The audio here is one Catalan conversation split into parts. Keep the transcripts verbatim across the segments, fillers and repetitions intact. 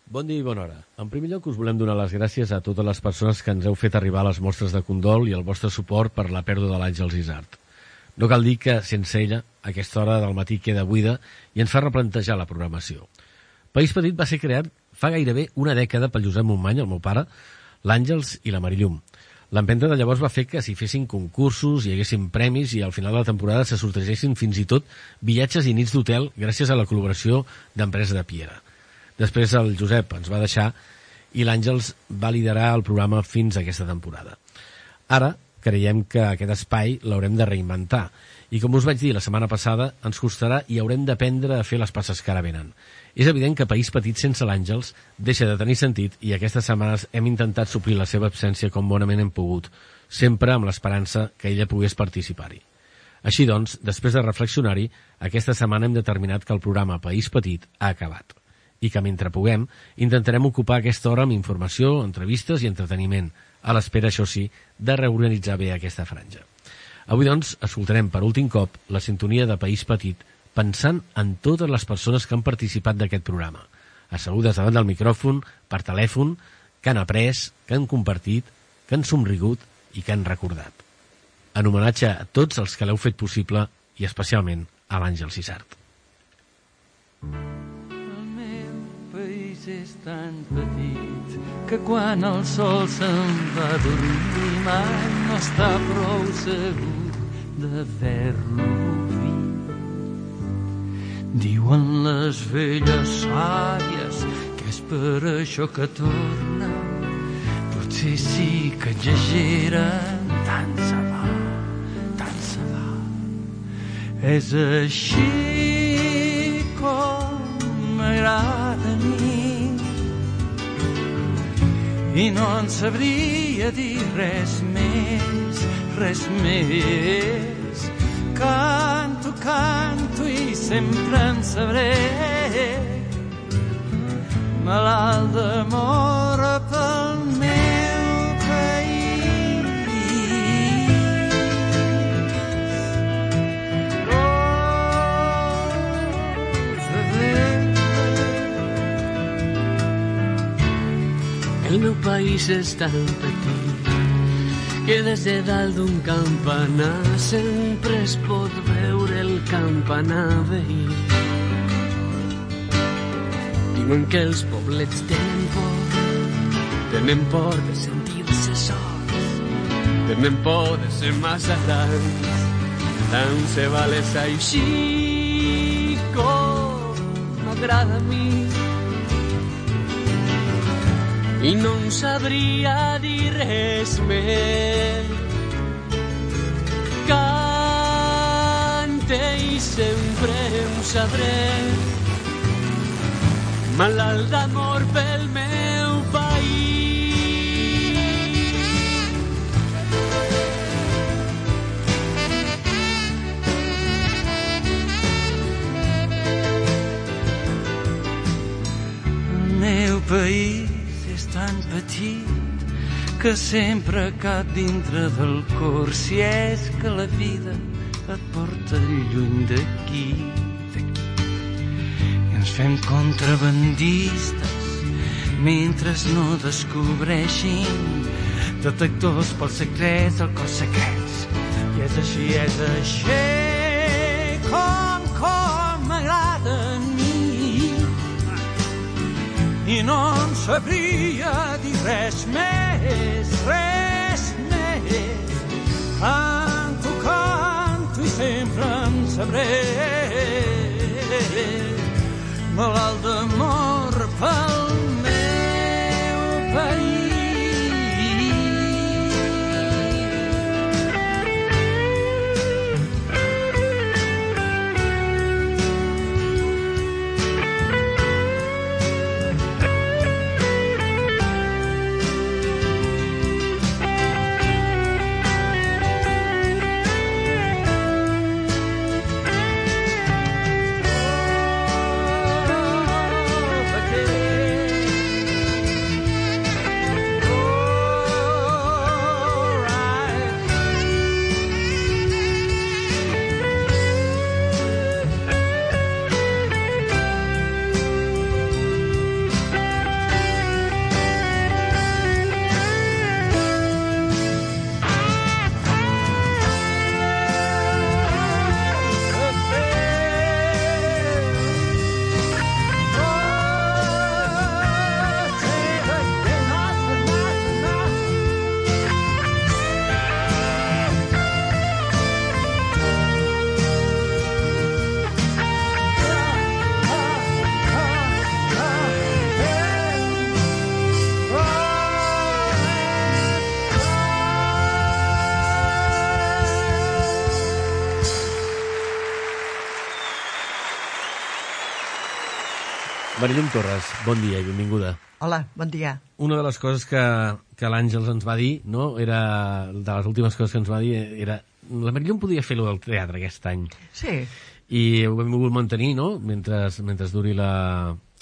Bon dia i bona hora. En primer lloc us volem donar les gràcies a totes les persones que ens heu fet arribar les mostres de condol i el vostre suport per la pèrdua de l'Àngels Isart. No cal dir que, sense ella, aquesta hora del matí queda buida i ens fa replantejar la programació. País Petit va ser creat fa gairebé una dècada pel Josep Montmany, el meu pare, l'Àngels i la Marillum. L'empenta de llavors va fer que s'hi fessin concursos, hi haguessin premis i al final de la temporada se sortegessin fins i tot viatges i nits d'hotel gràcies a la col·laboració d'Empresa de Piera. Després el Josep ens va deixar i l'Àngels va liderar el programa fins a aquesta temporada. Ara creiem que aquest espai l'haurem de reinventar i, com us vaig dir la setmana passada, ens costarà i haurem d'aprendre a fer les passes que ara venen. És evident que País Petit sense l'Àngels deixa de tenir sentit i aquestes setmanes hem intentat suplir la seva absència com bonament hem pogut, sempre amb l'esperança que ella pogués participar-hi. Així doncs, després de reflexionar-hi, aquesta setmana hem determinat que el programa País Petit ha acabat i que mentre puguem intentarem ocupar aquesta hora amb informació, entrevistes i entreteniment, a l'espera, això sí, de reorganitzar bé aquesta franja. Avui, doncs, escoltarem per últim cop la sintonia de País Petit pensant en totes les persones que han participat d'aquest programa, assegudes davant del micròfon, per telèfon, que han après, que han compartit, que han somrigut i que han recordat. En homenatge a tots els que l'heu fet possible i especialment a l'Àngels Isart. És tan petit que quan el sol se'n va dormir mai no està prou segur d'haver-lo vist. Diuen les velles sàvies que és per això que torna, potser sí que exageren, tant se va, tant se va. És així com m'agrada a mi i no en sabria dir res més, res més. Canto, canto i sempre en sabré, malalt d'amor pel meu país. El meu país és tan petit que des de dalt d'un campanar sempre es pot veure el campanar veí. Diuen que els poblets tenen por, tenen por de sentir-se sols, tenen por de ser massa grans, tant se val és així com m'agrada a mi. I no en sabria dir res més. Cante i sempre ho sabré, malalt d'amor pel meu país. El meu país tan petit que sempre cap dintre del cor, si és que la vida et porta lluny d'aquí, d'aquí. I ens fem contrabandistes mentre no descobreixin detectors pels secrets del cos secrets. I és així, és així com, com m'agrada a mi. I no en sabria dir res més, res més. Canto, canto i sempre en sabré, malalt d'amor pel meu país. Marilum Torres, bon dia i benvinguda. Hola, bon dia. Una de les coses que, que l'Àngels ens va dir, no? Era, de les últimes coses que ens va dir, era la Marilum podia fer-lo del teatre aquest any. Sí. I ho hem volgut mantenir, no?, mentre, mentre duri la,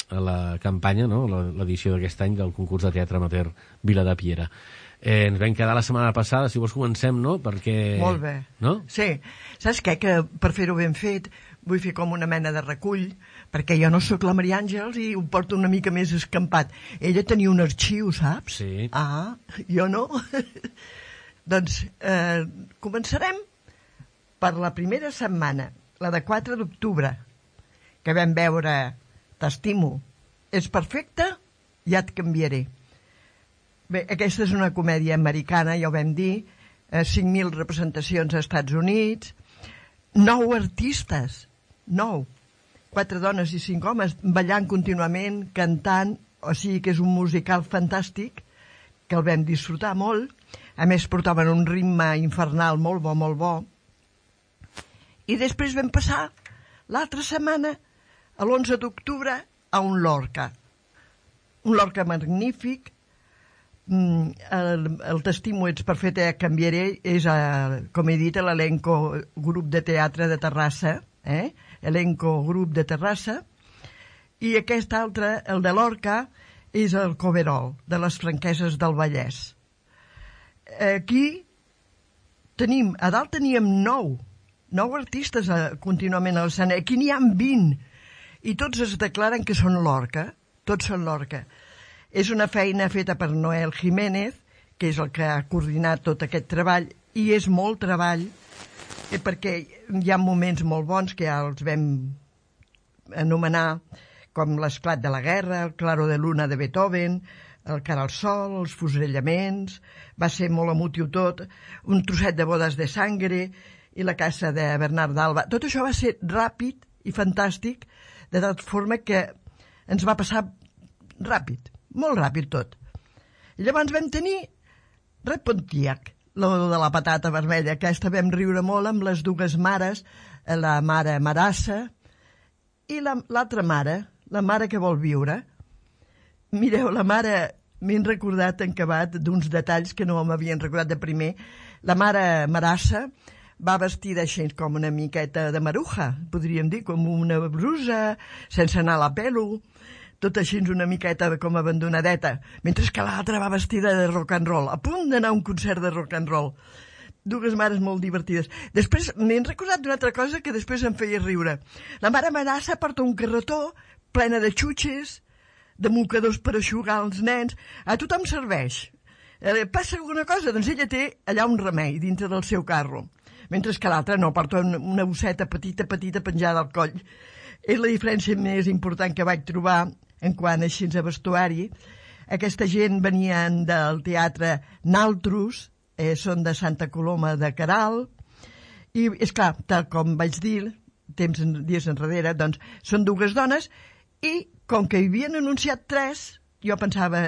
la campanya, no?, l'edició d'aquest any del concurs de teatre amateur Vila de Piera. Eh, ens vam quedar la setmana passada, si vols comencem, no?, perquè... Molt bé. No? Sí. Saps què? Que per fer-ho ben fet vull fer com una mena de recull, perquè jo no sóc la Maria Àngels i ho porto una mica més escampat. Ella tenia un arxiu, saps? Sí. Ah, jo no. Doncs eh, començarem per la primera setmana, la de quatre d'octubre, que vam veure T'estimo, és perfecte, ja et canviaré. Bé, aquesta és una comèdia americana, ja ho vam dir, eh, cinc mil representacions als Estats Units, nou artistes, nou, quatre dones i cinc homes ballant contínuament, cantant, o sigui que és un musical fantàstic, que el vam disfrutar molt, a més portaven un ritme infernal molt bo, molt bo, i després vam passar l'altra setmana, a l'onze d'octubre, a un Lorca. Un Lorca magnífic, el, el T'estimo, ets perfecte, ja canviaré, és, a, com he dit, l'elenco grup de teatre de Terrassa, eh? Elenco grup de Terrassa, i aquest altre, el de Lorca, és el Coverol, de les Franqueses del Vallès. Aquí tenim, a dalt teníem nou, nou artistes a, contínuament a l'escena, aquí n'hi ha vint, i tots es declaren que són Lorca, tots són Lorca. És una feina feta per Noel Jiménez, que és el que ha coordinat tot aquest treball, i és molt treball, eh, perquè hi ha moments molt bons que ja els vam anomenar, com l'esclat de la guerra, el claro de luna de Beethoven, el cara al sol, els fusellaments, va ser molt emotiu tot, un trosset de bodes de sangre i la casa de Bernard d'Alba. Tot això va ser ràpid i fantàstic, de tal forma que ens va passar ràpid, molt ràpid tot. I llavors vam tenir Repontiac, lo de la patata vermella, que aquesta vam riure molt amb les dues mares, la mare Marassa i l'altra la, mare, la mare que vol viure. Mireu, la mare, m'he recordat en acabat d'uns detalls que no m'havien recordat de primer. La mare Marassa va vestida així com una miqueta de maruja, podríem dir, com una brusa, sense anar a la pelo, tot així una miqueta com abandonadeta, mentre que l'altra va vestida de rock and roll, a punt d'anar a un concert de rock and roll. Dues mares molt divertides. Després m'he recordat d'una altra cosa que després em feia riure. La mare Marassa porta un carretó plena de xutxes, de mocadors per aixugar els nens. A tothom serveix. Eh, passa alguna cosa? Doncs ella té allà un remei dintre del seu carro. Mentre que l'altra no, porta una bosseta petita, petita, penjada al coll. És la diferència més important que vaig trobar en quant així a vestuari. Aquesta gent venien del teatre Naltrus, eh, són de Santa Coloma de Queralt, i és clar, tal com vaig dir, temps dies enrere, doncs són dues dones, i com que hi havien anunciat tres, jo pensava,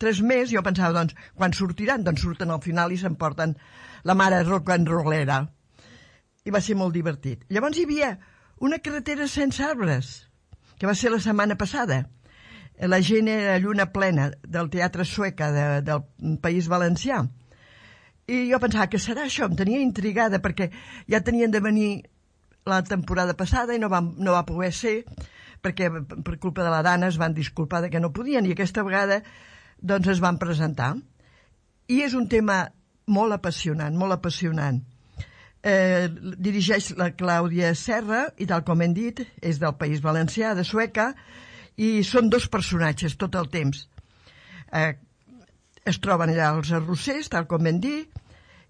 tres més, jo pensava, doncs, quan sortiran? Doncs surten al final i s'emporten la mare rock and rollera. I va ser molt divertit. Llavors hi havia una carretera sense arbres, que va ser la setmana passada. La gent era lluna plena del Teatre Sueca de, del País Valencià. I jo pensava, que serà això? Em tenia intrigada, perquè ja tenien de venir la temporada passada i no va, no va poder ser, perquè per culpa de la Dana es van disculpar de que no podien, i aquesta vegada doncs es van presentar. I és un tema molt apassionant, molt apassionant. Eh, dirigeix la Clàudia Serra, i tal com hem dit, és del País Valencià, de Sueca, i són dos personatges tot el temps. Eh, es troben allà els arrossers, tal com vam dir,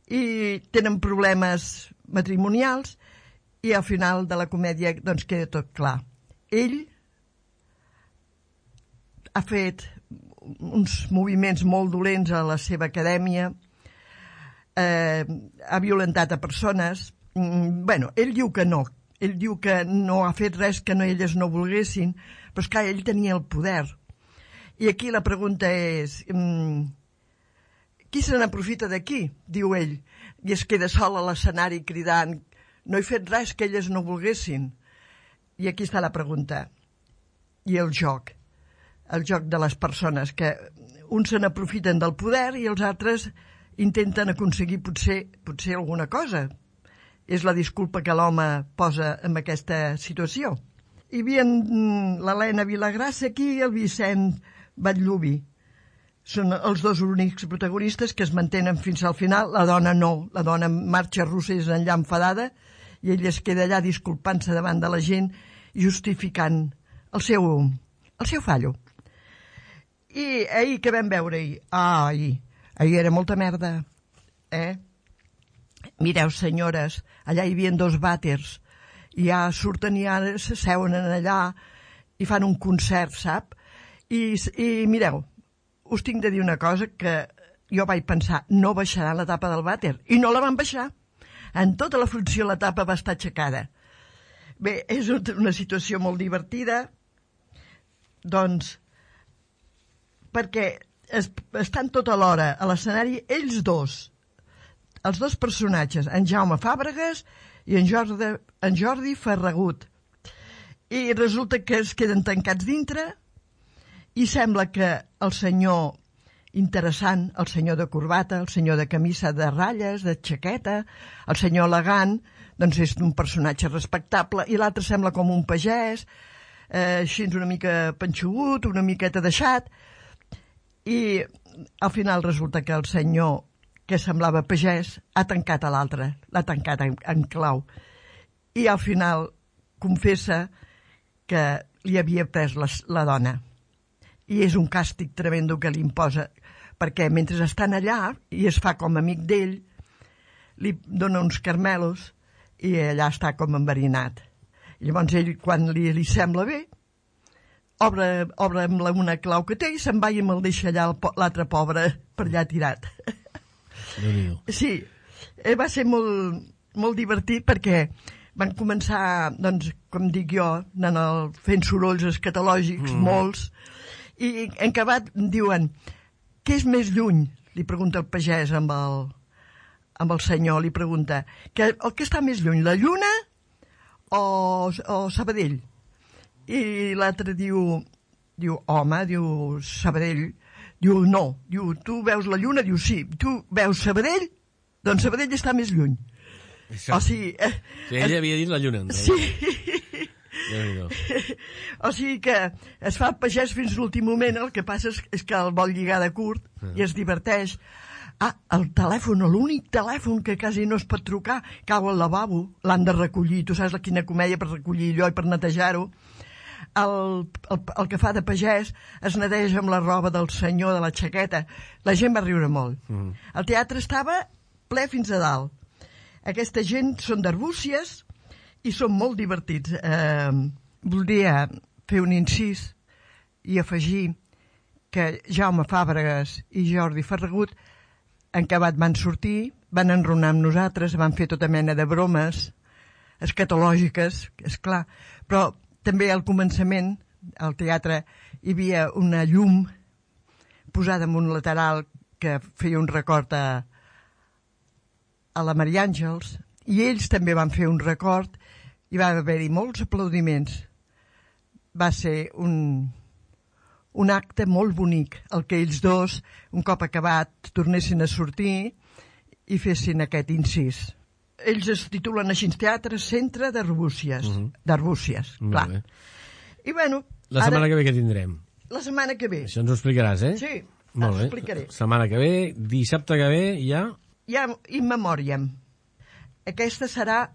i tenen problemes matrimonials, i al final de la comèdia doncs queda tot clar. Ell ha fet uns moviments molt dolents a la seva acadèmia, eh, ha violentat a persones. Mm, bueno, ell diu que no, ell diu que no ha fet res que no, elles no volguessin, però és clar, ell tenia el poder. I aquí la pregunta és, mm, qui se n'aprofita d'aquí? Diu ell, i es queda sol a l'escenari cridant, no he fet res que elles no volguessin. I aquí està la pregunta. I el joc? el joc de les persones, que uns se n'aprofiten del poder i els altres intenten aconseguir potser, potser alguna cosa. És la disculpa que l'home posa en aquesta situació. Hi havia l'Helena Vilagrassa aquí i el Vicent Batllubi. Són els dos únics protagonistes que es mantenen fins al final. La dona no, la dona marxa russa i és enllà enfadada i ell es queda allà disculpant-se davant de la gent i justificant el seu, el seu fallo. I ahir, què vam veure ahir? Ah, ahir, ahir era molta merda, eh? Mireu, senyores, allà hi havia dos vàters i ja surten i ara s'asseuen allà i fan un concert, sap? I, i mireu, us tinc de dir una cosa que jo vaig pensar, no baixarà la tapa del vàter, i no la van baixar. En tota la funció la tapa va estar aixecada. Bé, és una situació molt divertida, doncs, perquè es, estan tota l'hora a l'escenari ells dos, els dos personatges, en Jaume Fàbregas i en Jordi, en Jordi Ferragut. I resulta que es queden tancats dintre i sembla que el senyor interessant, el senyor de corbata, el senyor de camisa de ratlles, de xaqueta, el senyor elegant, doncs és un personatge respectable, i l'altre sembla com un pagès, eh, així una mica panxugut, una miqueta deixat, i al final resulta que el senyor que semblava pagès ha tancat a l'altre, l'ha tancat en, en clau, i al final confessa que li havia pres la, la dona. I és un càstig tremendo que li imposa, perquè mentre estan allà i es fa com amic d'ell, li dona uns carmelos i allà està com enverinat. I llavors ell, quan li, li sembla bé, obre, obre amb la, una clau que té i se'n va i me'l deixa allà l'altre pobre per allà tirat. Sí, va ser molt, molt divertit perquè van començar, doncs, com dic jo, anant el, fent sorolls escatològics, mm. molts, i en acabat diuen, què és més lluny? Li pregunta el pagès amb el, amb el senyor, li pregunta, que, el que està més lluny, la lluna o, o Sabadell? I l'altre diu, diu, home, diu Sabadell, diu, no, diu, tu veus la lluna? Diu, sí, tu veus Sabadell? Doncs Sabadell està més lluny. Això. O sigui... Eh, sí, ell havia dit la lluna. Sí. O sigui que es fa el pagès fins l'últim moment, el que passa és, és que el vol lligar de curt ah. i es diverteix. Ah, el telèfon, l'únic telèfon que quasi no es pot trucar, cau al lavabo, l'han de recollir, tu saps quina comèdia per recollir allò i per netejar-ho. El, el, el que fa de pagès es neteja amb la roba del senyor de la xaqueta. La gent va riure molt. Mm. El teatre estava ple fins a dalt. Aquesta gent són d'Arbúcies i són molt divertits. Eh, voldria fer un incís i afegir que Jaume Fàbregas i Jordi Ferragut en acabat van sortir, van enronar amb nosaltres, van fer tota mena de bromes escatològiques, és clar, però també al començament, al teatre, hi havia una llum posada en un lateral que feia un record a, a la Maria Àngels, i ells també van fer un record i va haver-hi molts aplaudiments. Va ser un, un acte molt bonic, el que ells dos, un cop acabat, tornessin a sortir i fessin aquest incís. Ells es titulen així, Teatre Centre d'Arbúcies, uh -huh. d'Arbúcies, clar. Bé. I bueno... La setmana ara, que ve què tindrem? La setmana que ve. Això ens ho explicaràs, eh? Sí, molt bé. explicaré. Setmana que ve, dissabte que ve, ja... Ja, in memòriam. Aquesta serà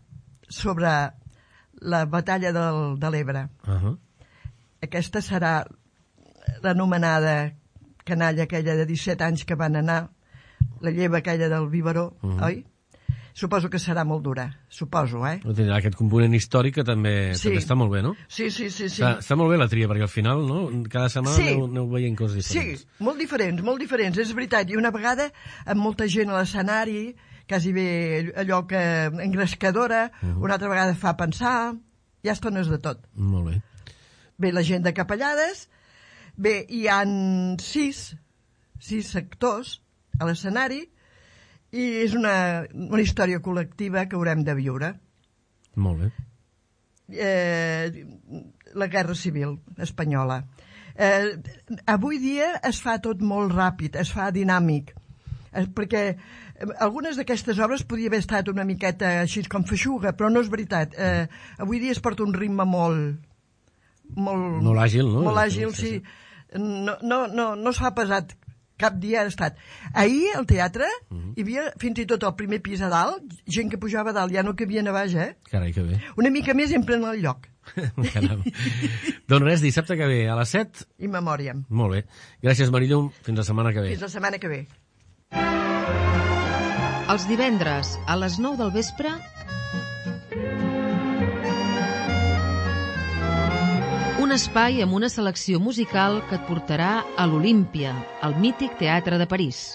sobre la batalla del, de l'Ebre. Uh -huh. Aquesta serà l'anomenada canalla aquella de disset anys que van anar, la lleva aquella del biberó, uh -huh. oi? Suposo que serà molt dura, suposo, eh? No tindrà aquest component històric que també, sí. també està molt bé, no? Sí, sí, sí. sí. Està, està molt bé la tria, perquè al final, no?, cada setmana sí. aneu, aneu veient coses diferents. Sí, molt diferents, molt diferents, és veritat. I una vegada, amb molta gent a l'escenari, quasi bé allò que engrescadora, uh -huh. una altra vegada fa pensar, hi ha estones de tot. Molt bé. Bé, la gent de Capellades, bé, hi han sis, sis actors a l'escenari, i és una, una història col·lectiva que haurem de viure. Molt bé. Eh, la Guerra Civil espanyola. Eh, avui dia es fa tot molt ràpid, es fa dinàmic, eh, perquè algunes d'aquestes obres podia haver estat una miqueta així com feixuga, però no és veritat. Eh, avui dia es porta un ritme molt... Molt, molt àgil, no? Molt àgil, sí. No, no, no, no es fa pesat. Cap dia ha estat. Ahir, al teatre, uh-huh. hi havia fins i tot al primer pis a dalt, gent que pujava a dalt, ja no cabien a baix, eh? Carai, que bé. Una mica més i en plen el lloc. Doncs res, dissabte que ve, a les set. In memòriam. Molt bé. Gràcies, Marillum. Fins la setmana que ve. Fins la setmana que ve. Els divendres, a les nou del vespre, un espai amb una selecció musical que et portarà a l'Olímpia, al mític Teatre de París.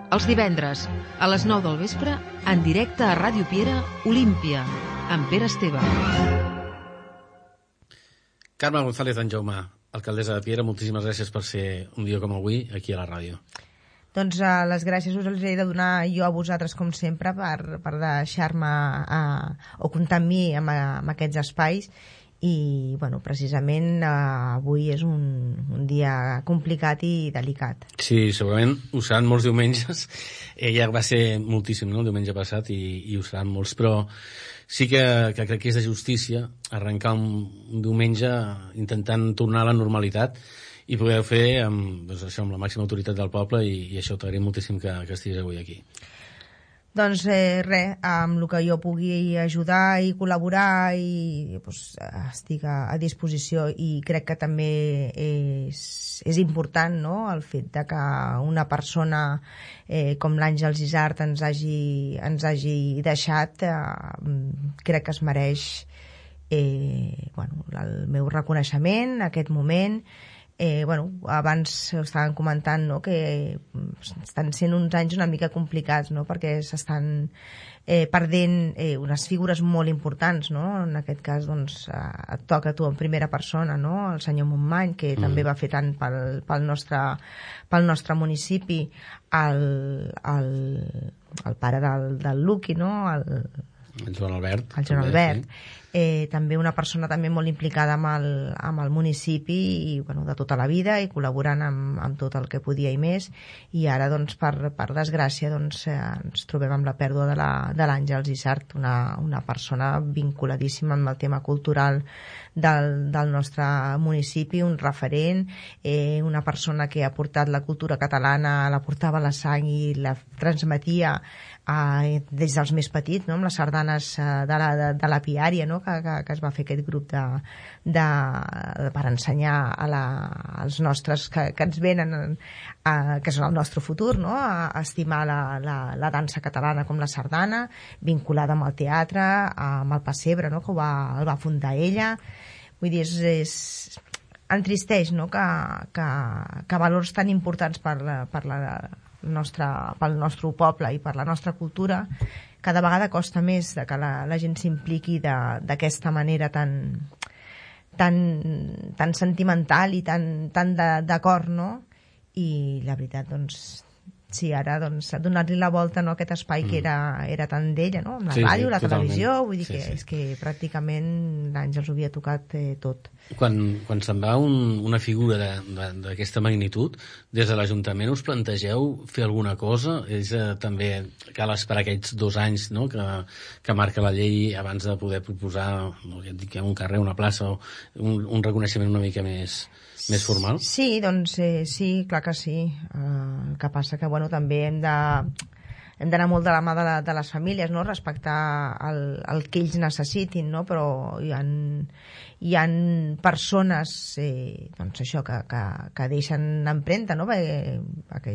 Els divendres, a les nou del vespre, en directe a Ràdio Piera, Olímpia, amb Pere Esteve. Carme González d'Anjaume, alcaldessa de Piera, moltíssimes gràcies per ser un dia com avui aquí a la ràdio. Doncs uh, les gràcies us les he de donar jo a vosaltres, com sempre, per, per deixar-me uh, o comptar amb mi en, en aquests espais. I, bueno, precisament uh, avui és un, un dia complicat i delicat. Sí, segurament ho seran molts diumenges. Ella va ser moltíssim, no?, el diumenge passat, i, i ho seran molts, però sí que, que crec que és de justícia arrencar un, un diumenge intentant tornar a la normalitat i poder fer amb, doncs això, amb la màxima autoritat del poble, i, i això t'agraïm moltíssim que, que estiguis avui aquí. Doncs eh, res, amb el que jo pugui ajudar i col·laborar, i doncs, estic a, a disposició, i crec que també és, és important, no?, el fet de que una persona eh, com l'Àngels Isart ens hagi, ens hagi deixat, eh, crec que es mereix eh, bueno, el meu reconeixement, aquest moment. Eh, bueno, abans estaven comentant, no?, que estan sent uns anys una mica complicats, no?, perquè s'estan eh, perdent eh, unes figures molt importants, no?, en aquest cas doncs, eh, et toca a tu en primera persona, no?, el senyor Montmany, que mm. també va fer tant pel, pel, nostre, pel nostre municipi, el, el, el pare del, del Luqui, no?, el, el Joan Albert, el Joan Albert. Sí. Eh, també una persona també molt implicada amb el, amb el municipi, i, bueno, de tota la vida, i col·laborant amb, amb tot el que podia i més, i ara doncs, per, per desgràcia doncs, eh, ens trobem amb la pèrdua de l'Àngels Isart, una, una persona vinculadíssima amb el tema cultural del, del nostre municipi, un referent, eh, una persona que ha portat la cultura catalana, la portava a la sang i la transmetia eh, des dels més petits, no?, amb les sardanes eh, de, la, de, de la Piària, no?, que, que, que es va fer aquest grup de, de, per ensenyar a la, als nostres que, que ens venen a, que són el nostre futur, no?, a, a estimar la, la, la dansa catalana com la sardana, vinculada amb el teatre, amb el pessebre, no?, que ho va, el va fundar ella. Vull dir, és, és entristeix, no?, que, que, que valors tan importants per la, per la nostre, pel nostre poble i per la nostra cultura cada vegada costa més de que la, la gent s'impliqui d'aquesta manera tan, tan, tan sentimental i tan, tan d'acord, no? I la veritat, doncs, sí, ara, doncs, donar-li la volta, no?, a aquest espai mm. que era, era tan d'ella, no?, amb la sí, ràdio, sí, la totalment. Televisió, vull dir sí, que sí. És que pràcticament l'Àngels ho havia tocat eh, tot. Quan, quan se'n va un, una figura d'aquesta magnitud, des de l'Ajuntament us plantegeu fer alguna cosa? És eh, també, cal esperar aquests dos anys, no?, que, que marca la llei abans de poder proposar, no, ja et dic, un carrer, una plaça, o un, un reconeixement una mica més... més formal? Sí, doncs eh, sí, clar que sí. Uh, el que passa que, bueno, també hem de hem d'anar molt de la mà de, la, de les famílies, no?, respectar el, el que ells necessitin, no?, però hi ha, hi ha persones eh, doncs això, que, que, que deixen empremta, no?, perquè, perquè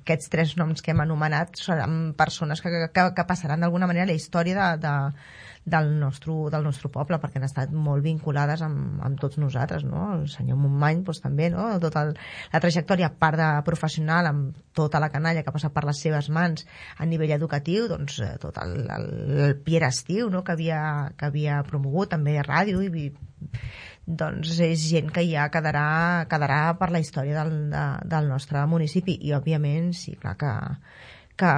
aquests tres noms que hem anomenat són persones que, que, que passaran d'alguna manera a la història de, de, del, nostre, del nostre poble, perquè han estat molt vinculades amb, amb tots nosaltres, no?, el senyor Montmany doncs, també, no?, tota la trajectòria, a part de professional, amb tota la canalla que ha passat per les seves mans a nivell educatiu, doncs tot el, el, el Piera Estiu, no?, que havia, que havia promogut també a ràdio, i doncs és gent que ja quedarà, quedarà per la història del, de, del nostre municipi, i òbviament sí, clar que que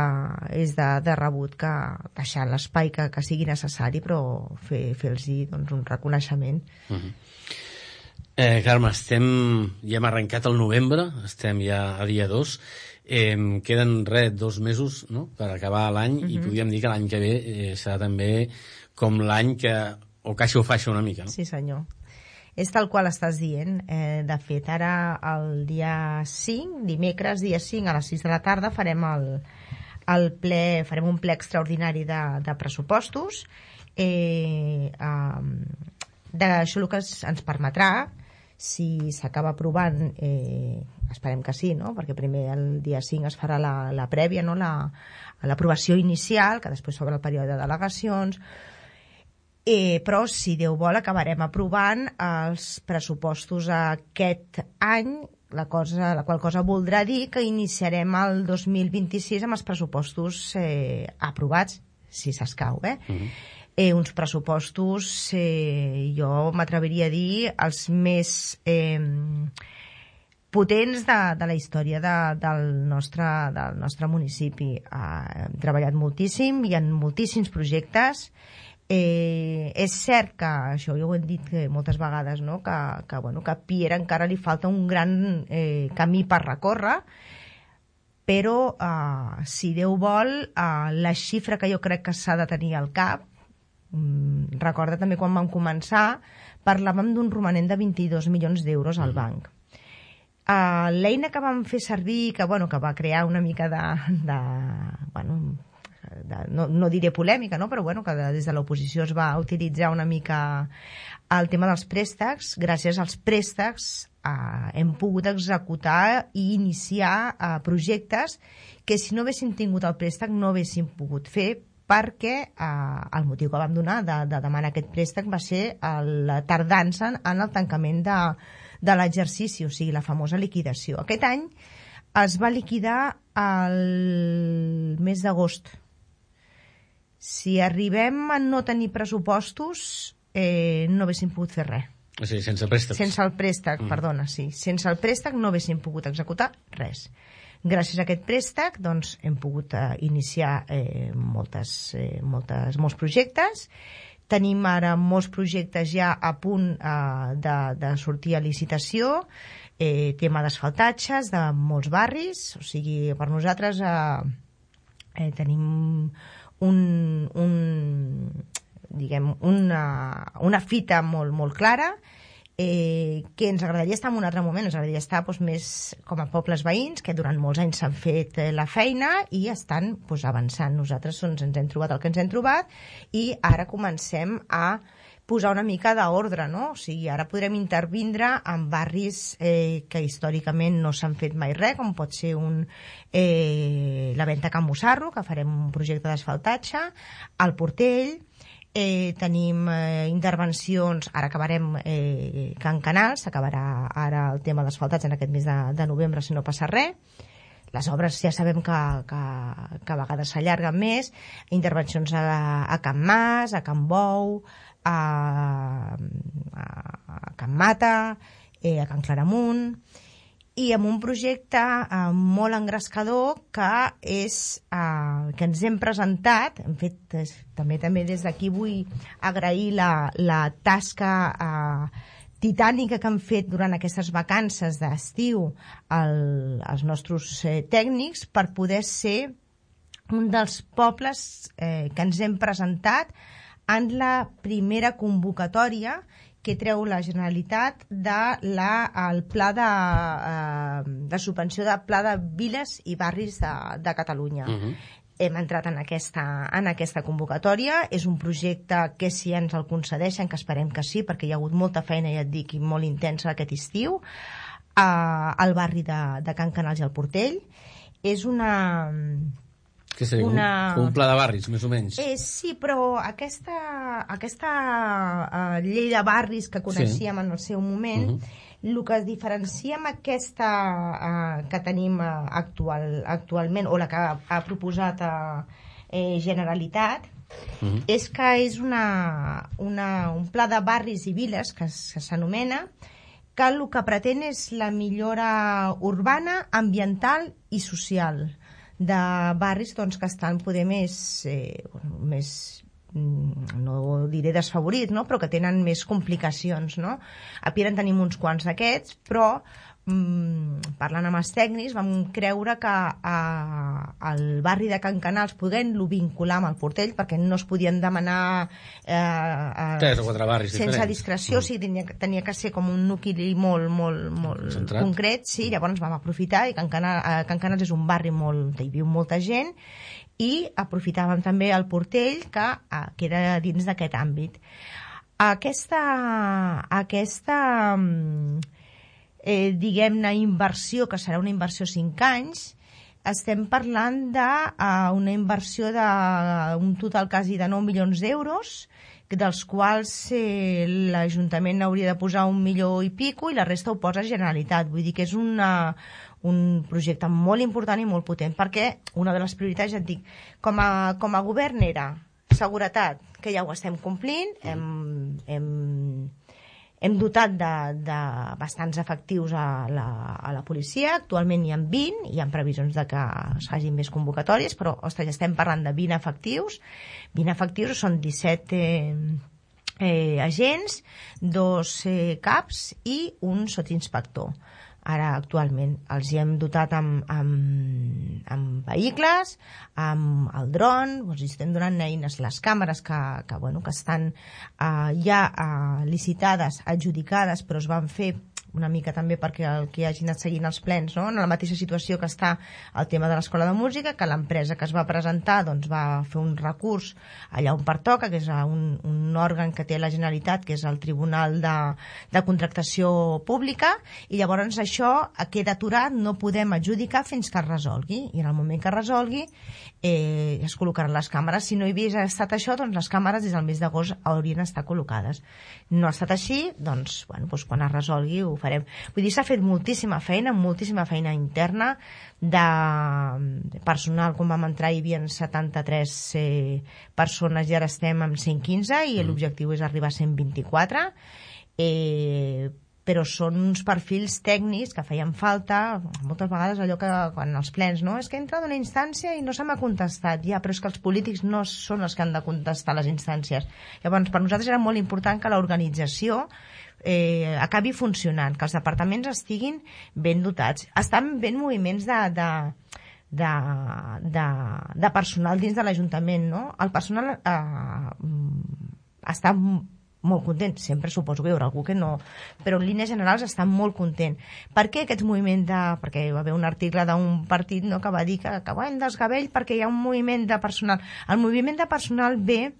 és de, de rebut que deixar l'espai que, que sigui necessari, però fer, fer-los doncs, un reconeixement. Uh-huh. Eh, Carme, estem, ja hem arrencat el novembre, estem ja a dia dos, eh, queden res, dos mesos, no?, per acabar l'any, uh-huh. i podríem dir que l'any que ve eh, serà també com l'any que o caixa o faixa una mica, no? Sí, senyor. És tal qual estàs dient. Eh, de fet, ara el dia cinc, dimecres, dia cinc, a les sis de la tarda, farem el, el ple, farem un ple extraordinari de, de pressupostos. Eh, eh, d'això el que ens permetrà, si s'acaba aprovant, eh, esperem que sí, no?, perquè primer el dia cinc es farà la, la prèvia, no?, la, l'aprovació inicial, que després s'obre el període de delegacions, eh, però si Déu vol acabarem aprovant els pressupostos aquest any, la, cosa, la qual cosa voldrà dir que iniciarem el dos mil vint-i-sis amb els pressupostos eh, aprovats, si s'escau, eh? Uh-huh. Eh, uns pressupostos, eh, jo m'atreviria a dir, els més eh, potents de, de la història de, del, nostre, del nostre municipi. Eh, hem treballat moltíssim, hi ha moltíssims projectes. Eh, és cert que, això ja ho hem dit moltes vegades, no?, que, que, bueno, que a Piera encara li falta un gran eh, camí per recórrer, però eh, si Déu vol, eh, la xifra que jo crec que s'ha de tenir al cap, mm, recorda també quan vam començar, parlàvem d'un romanent de vint-i-dos milions d'euros al banc. Uh, l'eina que vam fer servir, que, bueno, que va crear una mica de... de bueno, de, no, no diré polèmica, no?, però bueno, que de, des de l'oposició es va utilitzar una mica el tema dels préstecs. Gràcies als préstecs uh, hem pogut executar i iniciar uh, projectes que si no haguéssim tingut el préstec no haguéssim pogut fer, perquè eh, el motiu que vam donar de, de demanar aquest préstec va ser la tardança en el tancament de, de l'exercici, o sigui, la famosa liquidació. Aquest any es va liquidar el mes d'agost. Si arribem a no tenir pressupostos, eh, no haguéssim pogut fer res. O sigui, sense préstec. Sense el préstec, mm. perdona, sí. Sense el préstec no haguéssim pogut executar res. Gràcies a aquest préstec doncs, hem pogut eh, iniciar eh, moltes, eh, moltes, molts projectes. Tenim ara molts projectes ja a punt eh, de, de sortir a licitació, eh, tema d'asfaltatges de molts barris, o sigui, per nosaltres eh, eh, tenim un, un, diguem, una, una fita molt, molt clara, Eh, que ens agradaria estar en un altre moment, ens agradaria estar doncs, més com a pobles veïns que durant molts anys s'han fet eh, la feina i estan doncs, avançant. Nosaltres doncs, ens hem trobat el que ens hem trobat i ara comencem a posar una mica d'ordre, no? O sigui, ara podrem intervindre en barris eh, que històricament no s'han fet mai res, com pot ser un, eh, la Venta Can Mussarro, que farem un projecte d'asfaltatge, al Portell. Eh, tenim eh, intervencions, ara acabarem eh, Can Canal, s'acabarà ara el tema d'asfaltats en aquest mes de, de novembre si no passa res. Les obres ja sabem que, que, que a vegades s'allarguen més, intervencions a, a Can Mas, a Can Bou, a, a, a Can Mata, eh, a Can Claramunt, i amb un projecte eh, molt engrescador que és eh, que ens hem presentat, hem fet eh, també també des d'aquí vull agrair la, la tasca eh, titànica que han fet durant aquestes vacances d'estiu el, els nostres eh, tècnics per poder ser un dels pobles eh, que ens hem presentat en la primera convocatòria que treu la Generalitat de la, el pla de, eh, de subvenció de pla de viles i barris de, de Catalunya. Uh-huh. Hem entrat en aquesta, en aquesta convocatòria. És un projecte que si ens el concedeixen, que esperem que sí, perquè hi ha hagut molta feina, ja et dic, i molt intensa aquest estiu, eh, al barri de, de Can Canals i el Portell. És una... Que seria una... un, un pla de barris, més o menys. Eh, sí, però aquesta, aquesta uh, llei de barris que coneixíem sí. en el seu moment, uh-huh. el que es diferencia amb aquesta uh, que tenim uh, actual, actualment, o la que ha, ha proposat uh, eh, Generalitat, uh-huh. és que és una, una, un pla de barris i viles, que, que s'anomena, que el que pretén és la millora urbana, ambiental i social de barris doncs, que estan poder més, eh, bueno, més no diré desfavorits, no? Però que tenen més complicacions, no? A Piera en tenim uns quants d'aquests, però mm, parlant amb els tècnics vam creure que al barri de Can Canals podent-lo vincular amb el Portell, perquè no es podien demanar eh, eh, tres o quatre barris sense diferents. discreció, mm. o sigui, tenia, tenia que ser com un nucli molt, molt, molt centrat, concret, sí, llavors vam aprofitar, i Can Canals, Can Canals és un barri molt, hi viu molta gent, i aprofitàvem també el Portell, que eh, queda dins d'aquest àmbit. Aquesta, aquesta eh, diguem-ne, inversió, que serà una inversió cinc anys, estem parlant d'una uh, inversió d'un total quasi de nou milions d'euros, dels quals eh, l'Ajuntament hauria de posar un milió i pico i la resta ho posa Generalitat. Vull dir que és una, un projecte molt important i molt potent, perquè una de les prioritats, ja et dic, com a, com a govern era seguretat, que ja ho estem complint, hem, hem, hem dotat de, de bastants efectius a la, a la policia, actualment hi ha vint, hi ha previsions de que es facin més convocatòries, però ostres, ja estem parlant de vint efectius, vint efectius són disset eh, eh, agents, dos eh, caps i un sotsinspector. Ara, actualment, els hi hem dotat amb, amb, amb vehicles, amb el dron, doncs estem donant eines, les càmeres que, que, bueno, que estan uh, ja uh, licitades, adjudicades, però es van fer una mica també perquè el que hagi anat seguint els plens, no? En la mateixa situació que està el tema de l'Escola de Música, que l'empresa que es va presentar doncs, va fer un recurs allà on pertoca, que és un, un òrgan que té la Generalitat, que és el Tribunal de, de Contractació Pública, i llavors això queda aturat, no podem adjudicar fins que es resolgui, i en el moment que es resolgui eh, es col·locaran les càmeres. Si no hi hagués estat això, doncs les càmeres des del mes d'agost haurien d'estar col·locades. No ha estat així, doncs, bueno, doncs quan es resolgui ho farem. Vull dir, s'ha fet moltíssima feina, moltíssima feina interna de personal. Quan vam entrar hi havia setanta-tres eh, persones i ara estem amb cent quinze i mm. l'objectiu és arribar a cent vint-i-quatre. Eh, però són uns perfils tècnics que feien falta, moltes vegades allò que quan els plens, no? És que he entrat en una instància i no se m'ha contestat. Ja, però és que els polítics no són els que han de contestar les instàncies. Llavors, per nosaltres era molt important que l'organització eh, acabi funcionant, que els departaments estiguin ben dotats. Estan ben moviments de, de, de, de, de personal dins de l'Ajuntament, no? El personal eh, està molt content, sempre suposo que hi haurà algú que no, però en línies generals estan molt content. Per què aquest moviment de... perquè hi va haver un article d'un partit, no, que va dir que, que hem desgavell perquè hi ha un moviment de personal. El moviment de personal ve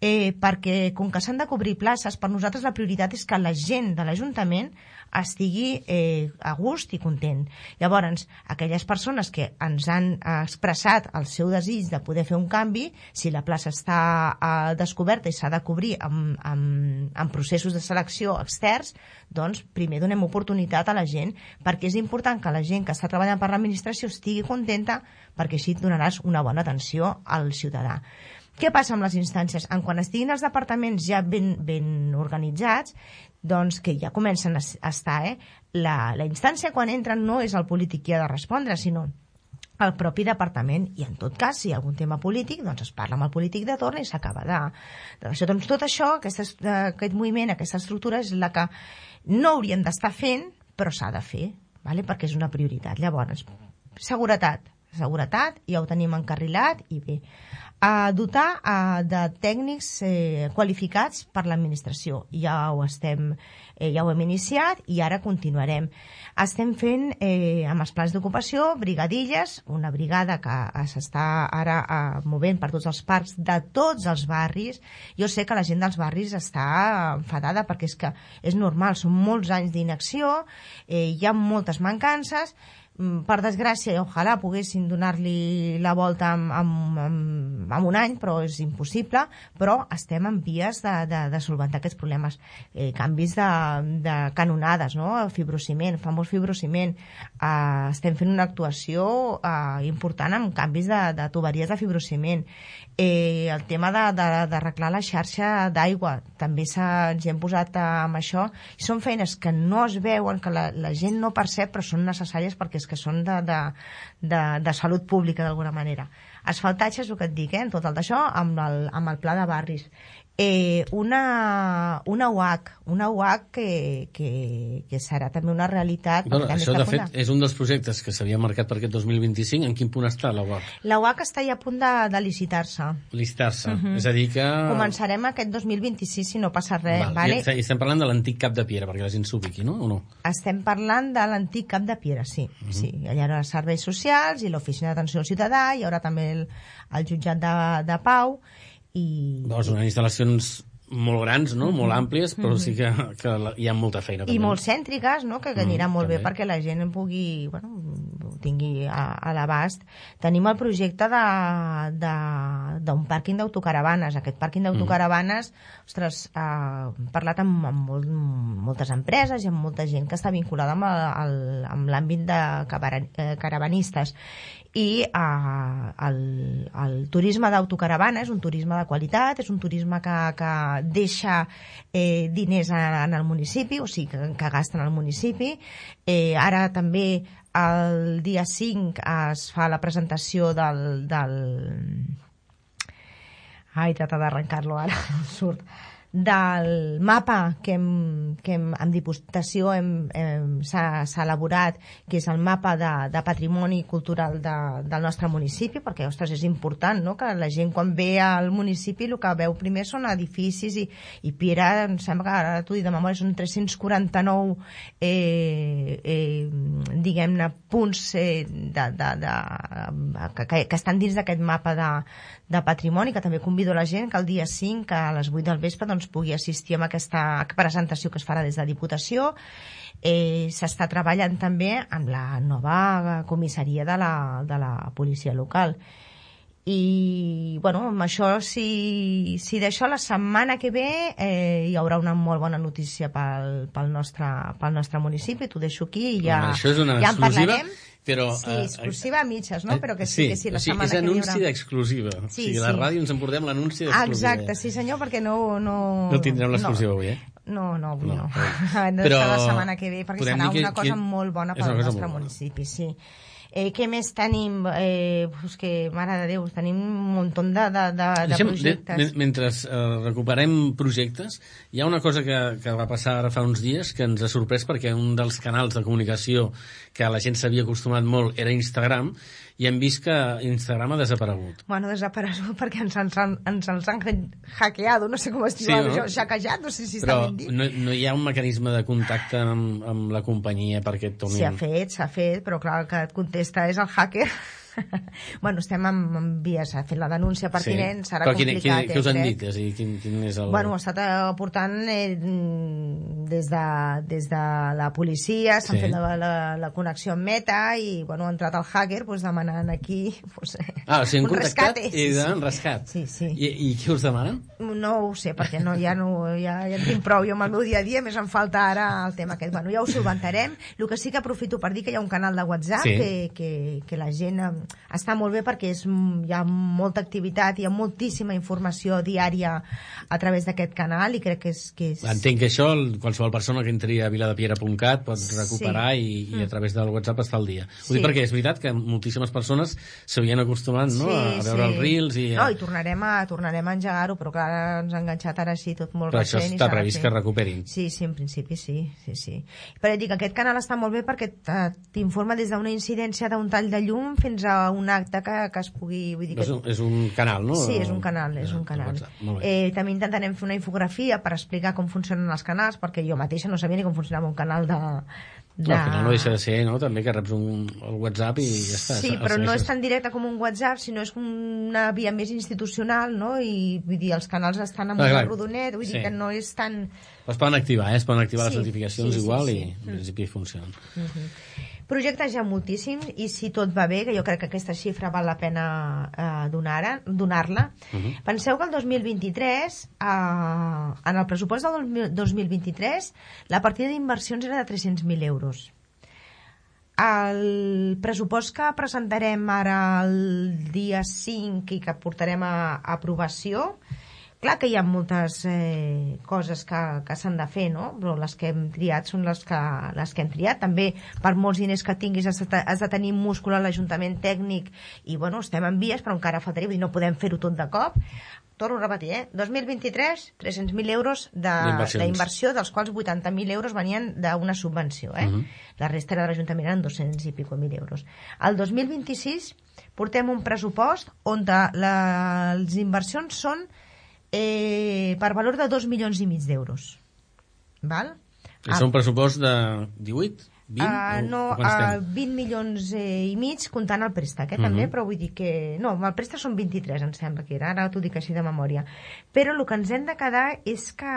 eh, perquè com que s'han de cobrir places, per nosaltres la prioritat és que la gent de l'Ajuntament estigui eh, a gust i content. Llavors, aquelles persones que ens han expressat el seu desig de poder fer un canvi, si la plaça està eh, descoberta i s'ha de cobrir amb, amb, amb processos de selecció externs, doncs primer donem oportunitat a la gent, perquè és important que la gent que està treballant per l'administració estigui contenta, perquè així donaràs una bona atenció al ciutadà. Què passa amb les instàncies? En quan estiguin els departaments ja ben, ben organitzats, doncs que ja comencen a estar, eh? La, la instància quan entren no és el polític qui ha de respondre, sinó el propi departament, i en tot cas, si hi ha algun tema polític, doncs es parla amb el polític de torn i s'acaba de... Això, doncs tot això, aquesta, aquest moviment, aquesta estructura és la que no hauríem d'estar fent, però s'ha de fer, vale? Perquè és una prioritat. Llavors, seguretat, seguretat, ja ho tenim encarrilat i bé. A dotar a, de tècnics eh, qualificats per l'administració. Ja ho estem, eh, ja ho hem iniciat i ara continuarem. Estem fent eh, amb els plans d'ocupació brigadilles, una brigada que s'està ara eh, movent per tots els parcs de tots els barris. Jo sé que la gent dels barris està enfadada perquè és que és normal, són molts anys d'inacció, eh, hi ha moltes mancances. Per desgràcia, i ojalà poguessin donar-li la volta en, en, en, en un any, però és impossible, però estem en vies de, de, de solventar aquests problemes. Eh, canvis de, de canonades, no? Fibrociment, famós fibrociment. Eh, estem fent una actuació eh, important amb canvis de, de tuberies de fibrociment. Eh, el tema d'arreglar la xarxa d'aigua, també ens hi hem posat amb això, i són feines que no es veuen, que la, la gent no percep, però són necessàries perquè és que són de, de, de, de salut pública d'alguna manera. Asfaltatge és el que et dic, eh, tot el d'això, amb el, amb el pla de barris. Eh, una, una U H, una U H que, que, que serà també una realitat. Bueno, això, de fet, és un dels projectes que s'havia marcat per aquest dos mil vint-i-cinc. En quin punt està la U H? La U H està ja a punt de, de licitar-se. Licitar-se, uh -huh. és a dir que... Començarem aquest dos mil vint-i-sis, si no passa res. Val. Vale? I estem parlant de l'antic Cap de Piera, perquè la gent s'ubiqui, no? O no? Estem parlant de l'antic Cap de Piera, sí. Uh -huh. Sí. Allà hi haurà serveis socials i l'oficina d'atenció al ciutadà, hi haurà també el, el jutjat de, de Pau, i... Doncs unes instal·lacions molt grans, no? Molt àmplies, però sí que, que hi ha molta feina. I també. molt cèntriques, no? Que, que anirà mm, molt també. Bé perquè la gent en pugui, bueno, ho tingui a, a l'abast. Tenim el projecte d'un pàrquing d'autocaravanes. Aquest pàrquing d'autocaravanes, mm. ostres, ha parlat amb, amb molt, moltes empreses i amb molta gent que està vinculada amb, el, amb l'àmbit de caravanistes. I eh, el, el turisme d'autocaravana és un turisme de qualitat, és un turisme que, que deixa eh, diners en el municipi, o sigui, que, que gasten al municipi. Eh, ara també el dia cinc es fa la presentació del... del... Ai, trata d'arrencar-lo ara, no surt. Del mapa que, hem, que hem, amb Diputació s'ha elaborat, que és el mapa de, de patrimoni cultural de, del nostre municipi, perquè, ostres, és important, no?, que la gent quan ve al municipi el que veu primer són edificis i, i Piera, em sembla que ara t'ho dic de memòria, són tres-cents quaranta-nou eh, eh, diguem-ne punts eh, de, de, de, que, que estan dins d'aquest mapa de, de patrimoni, que també convido la gent que el dia cinc a les vuit del vespre doncs, pugui assistir a aquesta presentació que es farà des de Diputació. Eh, s'està treballant també amb la nova comissaria de la, de la policia local. I, bueno, amb això, si, si d'això la setmana que ve eh, hi haurà una molt bona notícia pel, pel, nostre, pel nostre municipi. T'ho deixo aquí i ja, això és una ja en parlarem. Però, sí, exclusiva a mitges, no? Però que sí, sí que sí, la o sigui, setmana que ve és anunci d'exclusiva. Sí, o sigui, sí. a la ràdio ens emportem l'anunci d'exclusiva. Exacte, sí senyor, perquè no... No, no tindrem l'exclusiva no. avui, eh? No, no, avui no. no. no. Però la setmana que ve, perquè serà que, una cosa que... molt bona per al nostre municipi, sí. Eh, què més tenim? Eh, pues que, mare de Déu, tenim un munt de, de, de, de projectes. De, mentre eh, recuperem projectes, hi ha una cosa que, que va passar ara fa uns dies que ens ha sorprès, perquè un dels canals de comunicació que la gent s'havia acostumat molt era Instagram, i hem vist que Instagram ha desaparegut. Bueno, desaparegut perquè ens, ens, ens els han hackeado, no sé com es diu, sí, no? Hackejat, no sé si però està ben dit. No, no hi ha un mecanisme de contacte amb, amb la companyia perquè et tornin... S'ha fet, s'ha fet, però clar, el que et contesta és el hacker. Bueno, estem en, en vies, ha fet la denúncia pertinent, sí. Serà però complicat. Però què, què us han eh, dit? És a dir, quin, quin és el... Bueno, ha estat aportant eh, des, de, des de la policia, s'han sí. fet la, la, la connexió amb Meta i, bueno, ha entrat el hacker pues, demanant aquí pues, ah, o sigui, un rescate. I dan rescat. Sí, sí. I, I què us demanen? No ho sé, perquè no, ja, no, ja, ja en tinc prou jo amb el meu dia a dia, més em falta ara el tema aquest. Bueno, ja ho solventarem. El que sí que aprofito per dir que hi ha un canal de WhatsApp sí. que, que, que la gent està molt bé perquè és, hi ha molta activitat, hi ha moltíssima informació diària a través d'aquest canal i crec que és... Que és... Entenc que això qualsevol persona que entri a viladepiera punt cat pot recuperar sí. i, i a través del WhatsApp està al dia. Ho sí. dic perquè és veritat que moltíssimes persones s'havien acostumat no? sí, a veure sí. els reels i... A... No, i tornarem a, tornarem a engegar-ho, però clar, ens ha enganxat ara sí tot molt però recent. Però això està previst que recuperin. Sí, sí, en principi sí. sí, sí. Però dic, aquest canal està molt bé perquè t'informa des d'una incidència d'un tall de llum fins a un acte que, que es pugui... Vull dir que... és, un, és un canal, no? Sí, és un canal, és un canal. Eh, també intentarem fer una infografia per explicar com funcionen els canals, perquè jo mateixa no sabia ni com funcionava un canal de... de... No, al final no deixa de ser, no? També que reps un, el WhatsApp i ja està. Sí, però no és tan directe com un WhatsApp, sinó és una via més institucional, no? I vull dir, els canals estan amb ah, un rodonet, vull sí. dir que no és tan... Es poden activar, eh? Es poden activar sí, les notificacions sí, sí, igual sí, sí. i en principi funcionen. Uh-huh. Projectes ja moltíssims i si tot va bé, que jo crec que aquesta xifra val la pena eh, donar-la, donar-la. Uh-huh. Penseu que el dos mil vint-i-tres, eh, en el pressupost del dos mil vint-i-tres, la partida d'inversions era de tres-cents mil euros. El pressupost que presentarem ara el dia cinc i que portarem a, a aprovació, clar que hi ha moltes eh, coses que, que s'han de fer, no? Però les que hem triat són les que, les que hem triat. També, per molts diners que tinguis, has de, has de tenir múscul a l'Ajuntament tècnic i, bueno, estem en vies, però encara faltaria, vull dir, no podem fer-ho tot de cop. Torno a repetir, eh? dos mil vint-i-tres, tres-cents mil euros d'inversió, dels quals vuitanta mil euros venien d'una subvenció, eh? Uh-huh. La resta era de l'Ajuntament, eren dos-cents i pico mil euros. El dos mil vint-i-sis portem un pressupost on la, les inversions són Eh, per valor de dos milions i mig d'euros. Val? És ah. un pressupost de divuit? vint? Uh, no, uh, vint milions eh, i mig comptant el préstec, eh, uh-huh. també, però vull dir que... No, el préstec són vint-i-tres, em sembla que era, ara t'ho dic així de memòria. Però el que ens hem de quedar és que,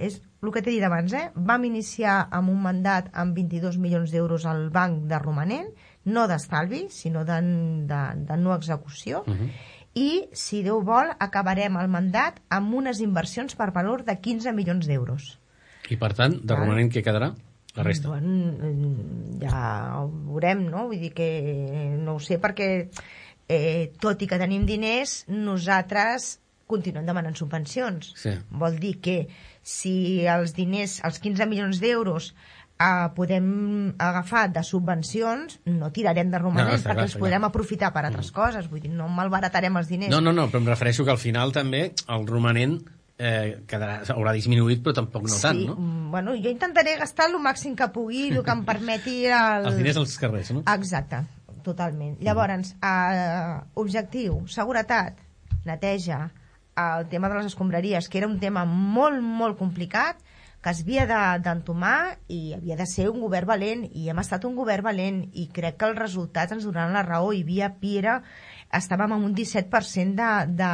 és el que t'he dit abans, eh? Vam iniciar amb un mandat amb vint-i-dos milions d'euros al banc de romanent, no d'estalvi, sinó de, de, de no execució, uh-huh. i, si Déu vol, acabarem el mandat amb unes inversions per valor de quinze milions d'euros. I, per tant, de romanent què quedarà? La resta? Bueno, ja ho veurem, no? Vull dir que no ho sé, perquè eh, tot i que tenim diners, nosaltres continuem demanant subvencions. Sí. Vol dir que si els diners, els quinze milions d'euros, Uh, podem agafar de subvencions, no tirarem de romanent, no, perquè clar, els podrem clar. aprofitar per altres mm. coses, vull dir, no malbaratarem els diners. No, no, no, però em refereixo que al final també el romanent eh, quedarà, haurà disminuït, però tampoc no sí, tant, no? Bueno, jo intentaré gastar el màxim que pugui, el que em permeti el... Els diners als carrers, no? Exacte, totalment. Llavors, uh, objectiu, seguretat, neteja, el tema de les escombraries, que era un tema molt, molt complicat, que es havia d'entomar i havia de ser un govern valent, i hem estat un govern valent, i crec que els resultats ens donaran la raó. I via Piera estàvem amb un disset per cent de, de,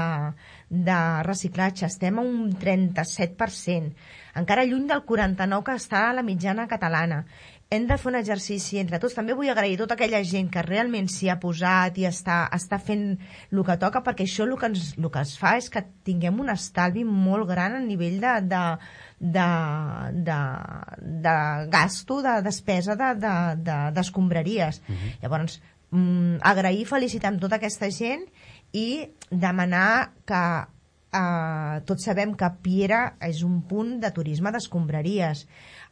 de reciclatge, estem a un trenta-set per cent, encara lluny del quaranta-nou per cent que està a la mitjana catalana. Hem de fer un exercici entre tots. També vull agrair a tota aquella gent que realment s'hi ha posat i està, està fent el que toca, perquè això el que, ens, el que es fa és que tinguem un estalvi molt gran a nivell de, de, de, de, de gasto, de despesa d'escombraries. De, de, uh-huh. Llavors, mm, agrair i felicitar amb tota aquesta gent i demanar que eh, tots sabem que Piera és un punt de turisme d'escombraries.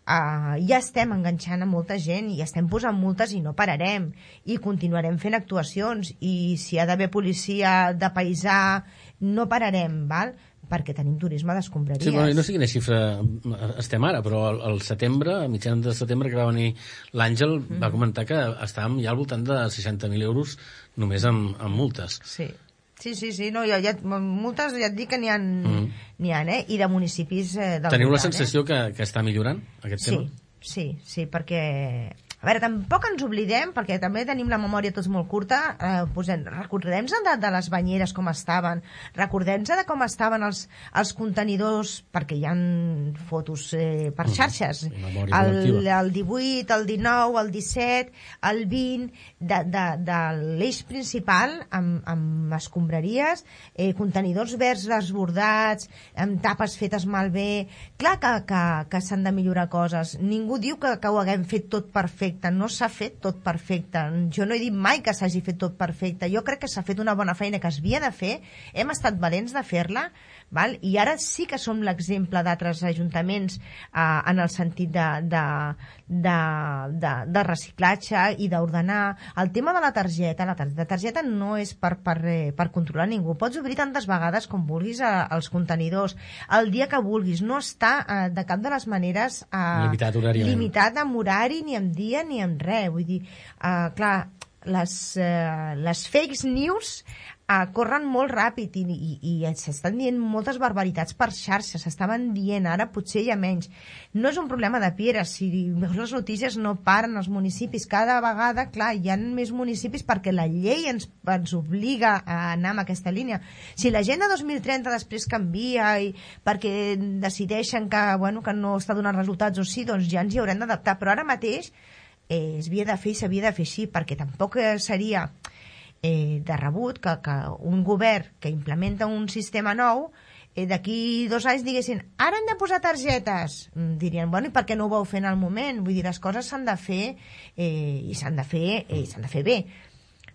Uh, ja estem enganxant a molta gent i estem posant multes i no pararem i continuarem fent actuacions, i si ha d'haver policia de paisà no pararem, val? Perquè tenim turisme d'escombraries. Sí, bueno, no sé quina xifra estem ara, però al, al setembre, a mitjans de setembre, que va venir l'Àngel, mm. va comentar que estàvem ja al voltant de seixanta mil euros només amb, amb multes. Sí. Sí, sí, sí, no, ja, ja, multes ja et dic que n'hi ha, mm. n'hi ha, eh? I de municipis eh, del Teniu voltant, la sensació eh? que, que està millorant aquest sí, tema? Sí, sí, perquè... A veure, tampoc ens oblidem, perquè també tenim la memòria tots molt curta, eh, posem, recordem-nos de, de les banyeres com estaven, recordem-nos de com estaven els, els contenidors, perquè hi ha fotos eh, per xarxes, mm, el, el divuit, el dinou, el disset, el vint, de, de, de l'eix principal, amb, amb escombraries, eh, contenidors verds desbordats, amb tapes fetes malbé. Clar que, que, que s'han de millorar coses. Ningú diu que, que ho haguem fet tot perfecte. No s'ha fet tot perfecte. Jo no he dit mai que s'hagi fet tot perfecte. Jo crec que s'ha fet una bona feina que es havia de fer. Hem estat valents de fer-la, val? I ara sí que som l'exemple d'altres ajuntaments eh, en el sentit de, de, de, de, de reciclatge i d'ordenar. El tema de la targeta, la targeta no és per, per, per controlar ningú. Pots obrir tantes vegades com vulguis eh, els contenidors. El dia que vulguis. No està eh, de cap de les maneres eh, limitat horàriament. Limitat amb horari, ni amb dia, ni amb res. Vull dir, uh, clar, les, uh, les fake news uh, corren molt ràpid i, i, i s'estan dient moltes barbaritats per xarxa, s'estaven dient, ara potser hi ha menys. No és un problema de Piera, si veus les notícies no paren els municipis, cada vegada, clar, hi ha més municipis perquè la llei ens, ens obliga a anar en aquesta línia. Si l'agenda dos mil trenta després canvia i perquè decideixen que, bueno, que no està donant resultats o sí, doncs ja ens hi haurem d'adaptar, però ara mateix eh, es havia de fer i s'havia de fer així, perquè tampoc seria eh, de rebut que, que un govern que implementa un sistema nou eh, d'aquí dos anys diguessin ara hem de posar targetes, dirien, bueno, i per què no ho vau fer en el moment? Vull dir, les coses s'han de fer eh, i s'han de fer eh, s'han de fer bé.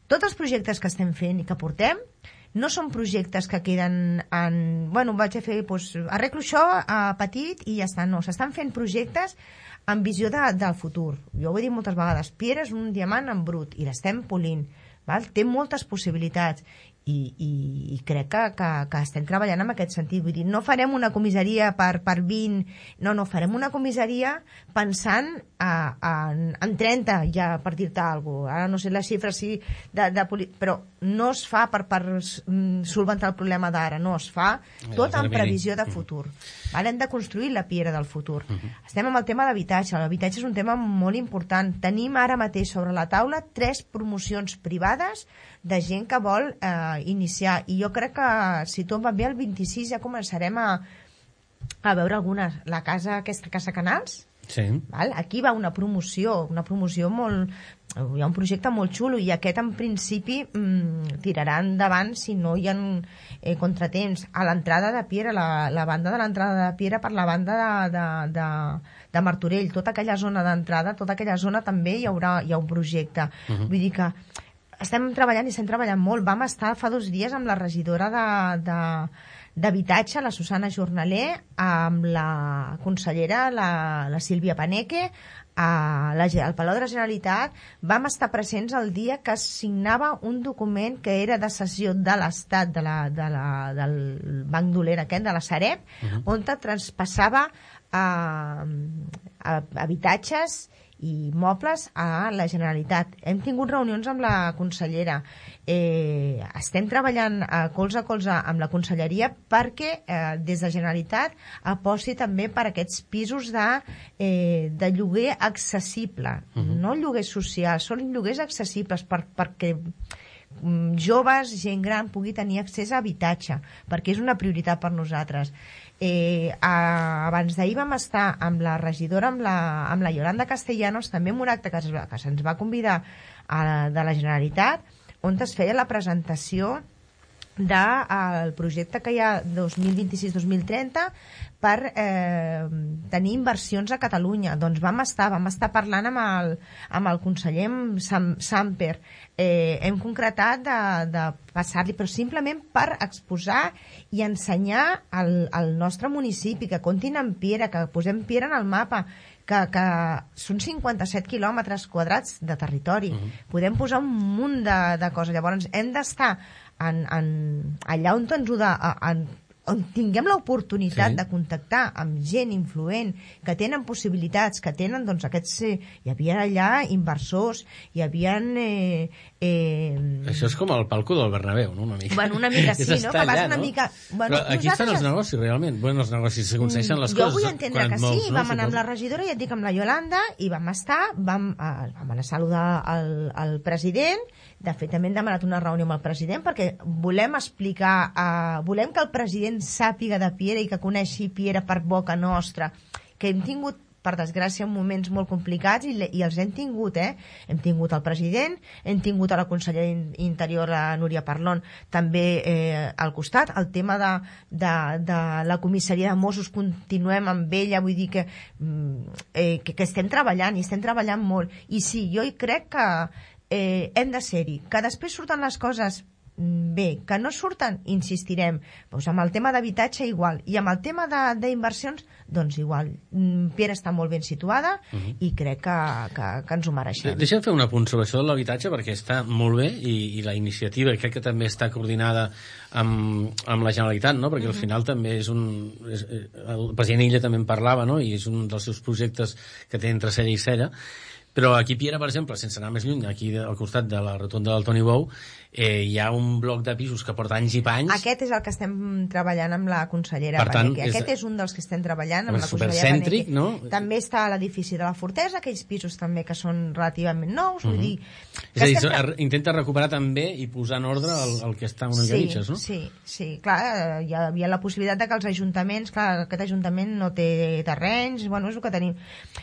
Tots els projectes que estem fent i que portem no són projectes que queden en... Bueno, vaig a fer... Doncs, arreglo això a petit i ja està. No, s'estan fent projectes amb visió de, del futur. Jo ho he dit moltes vegades. Pierre és un diamant en brut i l'estem polint. Val? Té moltes possibilitats i, i, i crec que, que, que estem treballant en aquest sentit. Vull dir, no farem una comissaria per, per vint... No, no, farem una comissaria pensant a, a, en trenta, ja, per dir-te alguna cosa. Ara no sé les xifres, sí, de, de poli... però no es fa per, per solventar el problema d'ara, no, es fa tot en previsió de futur. Val? Hem de construir la Piera del futur. Uh -huh. Estem amb el tema d'habitatge. L'habitatge és un tema molt important. Tenim ara mateix sobre la taula tres promocions privades de gent que vol eh, iniciar, i jo crec que si tot va bé el vint-i-sis ja començarem a, a veure algunes. La casa, aquesta Casa Canals, sí. Val? Aquí va una promoció, una promoció molt... Hi ha un projecte molt xulo i aquest en principi mmm, tirarà endavant si no hi ha eh, contratemps. A l'entrada de Piera, la, la banda de l'entrada de Piera per la banda de, de, de, de Martorell, tota aquella zona d'entrada, tota aquella zona també hi haurà hi ha un projecte. Uh-huh. Vull dir que estem treballant i estem treballant molt. Vam estar fa dos dies amb la regidora de, de, d'Habitatge, la Susana Jornaler, amb la consellera, la, la Sílvia Paneque, a la, al Palau de la Generalitat. Vam estar presents el dia que es signava un document que era de cessió de l'Estat, de la, de la, del Banc Dolent aquest, de la Sareb, uh-huh. on traspassava a, a habitatges i mobles a la Generalitat. Hem tingut reunions amb la consellera. Eh, estem treballant a colze a colze amb la conselleria perquè eh, des de Generalitat aposti també per aquests pisos de, eh, de lloguer accessible. Uh-huh. No lloguer social, són lloguers accessibles per, perquè joves, gent gran pugui tenir accés a habitatge, perquè és una prioritat per nosaltres. Eh, a, abans d'ahir vam estar amb la regidora, amb la, amb la Yolanda Castellanos, també en un acte que, es, que se'ns va convidar a, de la Generalitat, on es feia la presentació del projecte que hi ha dos mil vint-i-sis dos mil trenta per eh, tenir inversions a Catalunya. Doncs vam estar, vam estar parlant amb el, amb el conseller Sam, Samper. Eh, hem concretat de, de passar-li, però simplement per exposar i ensenyar al, al nostre municipi, que comptin amb Piera, que posem Piera en el mapa, que, que són cinquanta-set quilòmetres quadrats de territori. Uh-huh. Podem posar un munt de, de coses. Llavors hem d'estar en, en, allà on ens ho de, en, on tinguem l'oportunitat sí. de contactar amb gent influent, que tenen possibilitats, que tenen, doncs, aquests... Eh, hi havia allà inversors, hi havia... Eh, eh... Això és com el palco del Bernabéu, no? Una mica. Bueno, una mica sí, no? Que vas allà, una no? mica... Bueno, però aquí estan els negocis, realment. Bueno, els negocis s'aconsegueixen les jo coses. Jo vull entendre que molts, sí. No? Vam anar amb la regidora, ja et dic, amb la Yolanda, i vam estar, vam, eh, vam anar a saludar el, el president. De fet, també hem demanat una reunió amb el president perquè volem explicar, eh, volem que el president sàpiga de Piera i que coneixi Piera per boca nostra, que hem tingut, per desgràcia, moments molt complicats i, i els hem tingut, eh? Hem tingut el president, hem tingut a la consellera Interior, la Núria Parlon, també eh, al costat. El tema de, de, de la comissaria de Mossos, continuem amb ella, vull dir que, eh, que, que estem treballant i estem treballant molt. I sí, jo hi crec que eh, hem de ser-hi. Que després surten les coses bé, que no surten, insistirem. Doncs amb el tema d'habitatge igual, i amb el tema d'inversions doncs igual. Piera està molt ben situada uh-huh. i crec que, que, que ens ho mereixem. Deixa'm fer un apunt sobre això de l'habitatge perquè està molt bé i, i la iniciativa crec que també està coordinada amb, amb la Generalitat, no? Perquè uh-huh. al final també és un... És, el president Illa també en parlava, no? I és un dels seus projectes que té entre cella i cella. Però aquí Piera, per exemple, sense anar més lluny, aquí al costat de la rotonda del Toni Bou, eh, hi ha un bloc de pisos que porta anys i panys. Aquest és el que estem treballant amb la consellera Paneque. Aquest és un dels que estem treballant amb la consellera Paneque. No? També està a l'edifici de la Fortesa, aquells pisos també que són relativament nous. Uh-huh. Vull dir, és a dir, estem... intenta recuperar també i posar en ordre el, el que està una mica sí, mitges, no? Sí, sí. Clar, hi havia la possibilitat de que els ajuntaments, clar, aquest ajuntament no té terrenys, bueno, és el que tenim.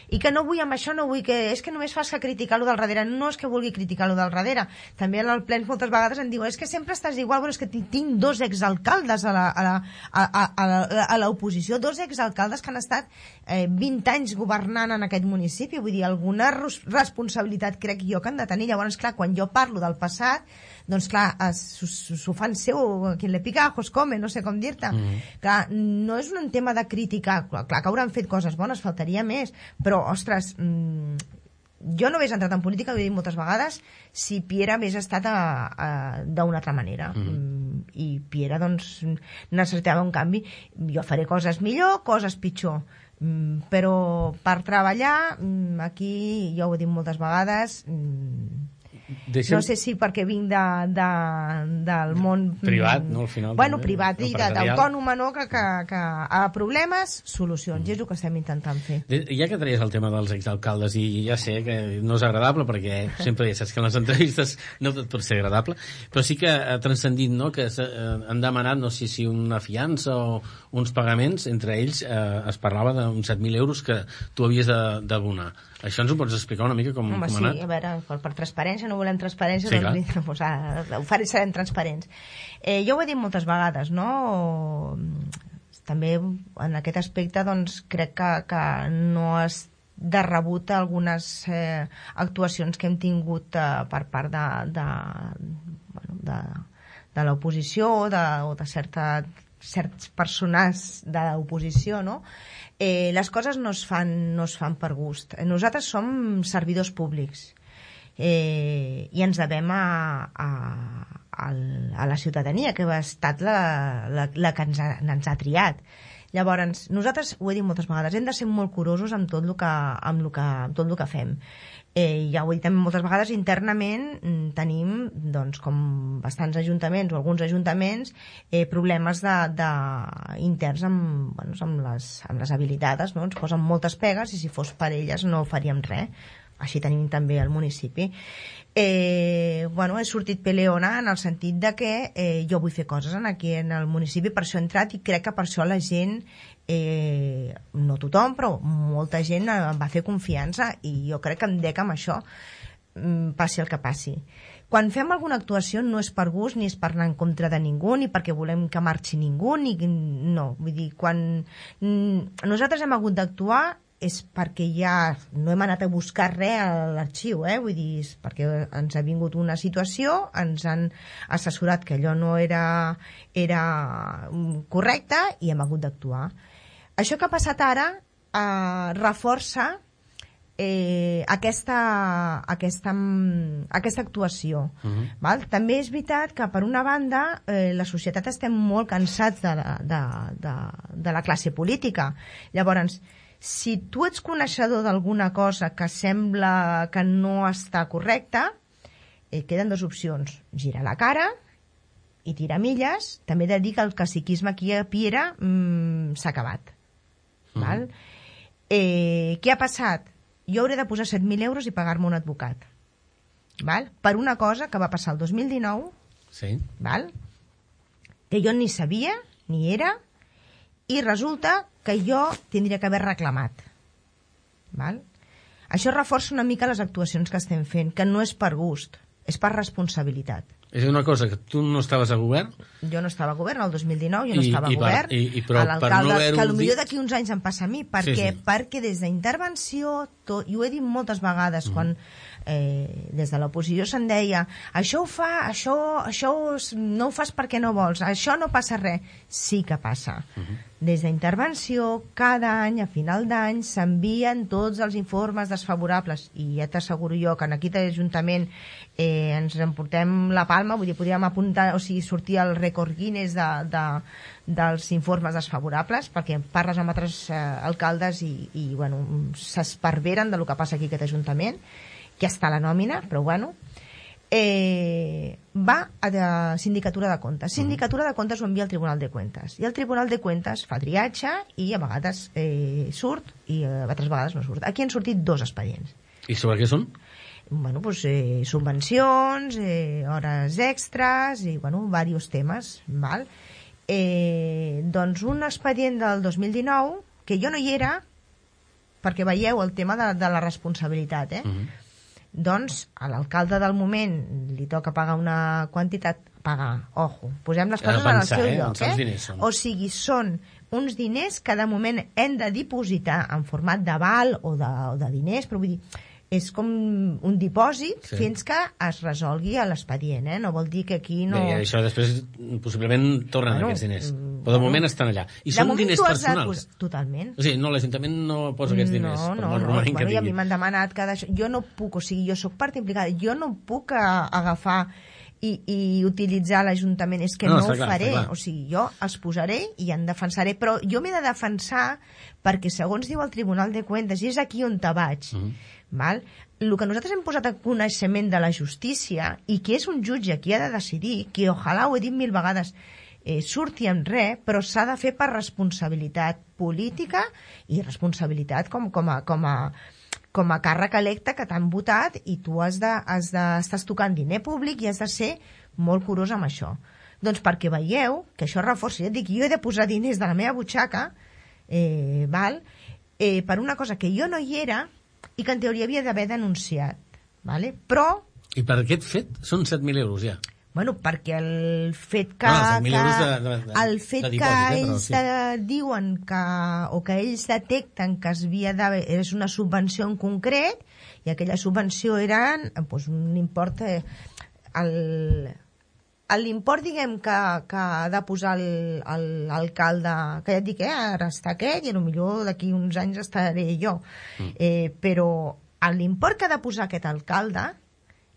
I que no vull amb això, no vull que... És que no només fas que criticar lo del darrere. No és que vulgui criticar lo del darrere. També en el plens moltes vegades em diuen és que sempre estàs igual. Bueno, és que tinc dos exalcaldes a la, a la, a, a, a, a l'oposició, dos exalcaldes que han estat eh, vint anys governant en aquest municipi. Vull dir, alguna responsabilitat crec jo que han de tenir. Llavors, clar, quan jo parlo del passat, doncs clar, s'ho fan seu, qui le pica ajos come, no sé com dir-te. Mm. Clar, no és un tema de criticar, clar, clar que hauran fet coses bones, faltaria més, però, ostres, mmm, jo no hagués entrat en política, ho he dit moltes vegades, si Piera hagués estat d'una altra manera. Mm. I Piera, doncs, necessitava un canvi. Jo faré coses millor, coses pitjor, mm, però per treballar, mm, aquí, jo ho he dit moltes vegades, mm, Deixem... no sé si perquè vinc de, de, del món privat, no, al final bueno, també, privat i d'autònoma, no? que, que, que a problemes, solucions, mm. és el que estem intentant fer. Ja que treies el tema dels exalcaldes, i ja sé que no és agradable perquè sempre ja saps que en les entrevistes no tot pot ser agradable, però sí que ha transcendit, no? Que han demanat, no sé si una fiança o uns pagaments, entre ells eh, es parlava d'uns set mil euros que tu havies d'abonar. Això ens ho pots explicar una mica com, Home, com ha anat? Sí, a veure, per, per transparència, no volem transparència, sí, doncs, doncs ah, ho faré, serem transparents. Eh, jo ho he dit moltes vegades, no? També en aquest aspecte doncs, crec que, que no és de rebut algunes eh, actuacions que hem tingut eh, per part de, de, bueno, de, de l'oposició o de, o de certa, certs persones de l'oposició, no? Eh, les coses no es fan, no es fan per gust. Nosaltres som servidors públics eh, i ens devem a, a, a, a la ciutadania, que ha estat la, la, la que ens ha, ens ha triat. Llavors, nosaltres, ho he dit moltes vegades, hem de ser molt curosos amb tot el que, amb el que, amb tot el que fem. Eh, ja ho he dit també moltes vegades, internament tenim, doncs, com bastants ajuntaments o alguns ajuntaments, eh, problemes de, de, interns amb, bueno, amb, les, amb les habilitades, no? Ens posen moltes pegues i si fos per elles no faríem res. Així tenim també al municipi. Eh, bueno, he sortit peleona en el sentit de que eh, jo vull fer coses aquí en el municipi, per això he entrat i crec que per això la gent, eh, no tothom, però molta gent em va fer confiança i jo crec que em dec amb això, mm, passi el que passi. Quan fem alguna actuació no és per gust ni és per anar en contra de ningú ni perquè volem que marxi ningú ni, no, vull dir, quan mm, nosaltres hem hagut d'actuar és perquè ja no hem anat a buscar res a l'arxiu, eh? Vull dir, és perquè ens ha vingut una situació, ens han assessorat que allò no era, era correcte i hem hagut d'actuar. Això que ha passat ara eh, reforça eh, aquesta, aquesta, aquesta actuació. Uh-huh. Val? També és veritat que, per una banda, eh, la societat estem molt cansats de la, de, de, de la classe política. Llavors, si tu ets coneixedor d'alguna cosa que sembla que no està correcta, eh, queden dues opcions. Girar la cara i tirar milles. També he de dir que el caciquisme aquí a Piera mmm, s'ha acabat. Mm. Val? Eh, què ha passat? Jo hauré de posar set mil euros i pagar-me un advocat. Val? Per una cosa que va passar el dos mil dinou, sí. Val? Que jo ni sabia, ni era, i resulta que jo tindria que haver reclamat. Val? Això reforça una mica les actuacions que estem fent, que no és per gust, és per responsabilitat. És una cosa que tu no estaves a govern? Jo no estava a govern, el dos mil dinou jo no I, estava a i govern. Per, i, i però, a l'alcalde, no que potser d'aquí uns anys em passa a mi, perquè, sí, sí. perquè des d'intervenció, tot, i ho he dit moltes vegades, mm. quan eh, des de l'oposició se'n deia això ho fa, això, això no ho fas perquè no vols, això no passa res. Sí que passa. Mm-hmm. Des d'intervenció, cada any, a final d'any, s'envien tots els informes desfavorables, i ja t'asseguro jo que en aquí a l'Ajuntament eh, ens emportem la palma, vull dir, podríem apuntar, o sigui, sortir el rècord Guinness de, de, dels informes desfavorables, perquè parles amb altres eh, alcaldes i, i bueno, s'esparveren del que passa aquí a aquest Ajuntament, que està a la nòmina, però bueno, eh, va a la Sindicatura de Comptes. Sindicatura de Comptes ho envia al Tribunal de Cuentas, i el Tribunal de Cuentas fa triatge i a vegades eh, surt i a altres vegades no surt. Aquí han sortit dos expedients. I sobre què són? Bueno, pues, eh, subvencions, eh, hores extras i, bueno, diversos temes, val? Eh, doncs un expedient del dos mil dinou, que jo no hi era, perquè veieu el tema de, de la responsabilitat, eh? Uh-huh. Doncs a l'alcalde del moment li toca pagar una quantitat, pagar, ojo, posem les coses en el seu eh? lloc, eh? O sigui, són uns diners que de moment hem de dipositar en format d'aval o, de, o de diners, però vull dir, és com un dipòsit sí. fins que es resolgui l'expedient, eh? No vol dir que aquí no... Bé, això després possiblement tornen bueno, aquests diners, però de moment estan allà. I són diners personals. De... Totalment. O sigui, no, l'Ajuntament no posa aquests diners. No, no, no. Bueno, i a mi m'han demanat que d'això... Jo no puc, o sigui, jo sóc part implicada, jo no puc agafar i, i utilitzar l'Ajuntament, és que no, no ho clar, faré. O sigui, jo els posaré i en defensaré, però jo m'he de defensar perquè, segons diu el Tribunal de Cuentas, i és aquí on te vaig, mm. Val? El que nosaltres hem posat a coneixement de la justícia i que és un jutge qui ha de decidir, que ojalà, ho he dit mil vegades, eh, surti en res, però s'ha de fer per responsabilitat política i responsabilitat com, com, a, com, a, com a càrrec electe que t'han votat i tu has de, has de, estàs tocant diner públic i has de ser molt curós amb això. Doncs perquè veieu que això reforça, ja et dic, jo he de posar diners de la meva butxaca eh, val? Eh, per una cosa que jo no hi era i que en teoria havia d'haver denunciat. Vale? Però... I per aquest fet són set mil euros ja? Bueno, perquè el fet que... No, set mil euros de, de, de, el fet de dipòsit, que eh, ells però, sí. diuen que... o que ells detecten que es havia d'haver... és una subvenció en concret i aquella subvenció era doncs, un import... Eh, el... L'import, diguem, que, que ha de posar l'alcalde, que ja et dic, eh, ara està aquest i potser d'aquí uns anys estaré jo. Mm. Eh, però l'import que ha de posar aquest alcalde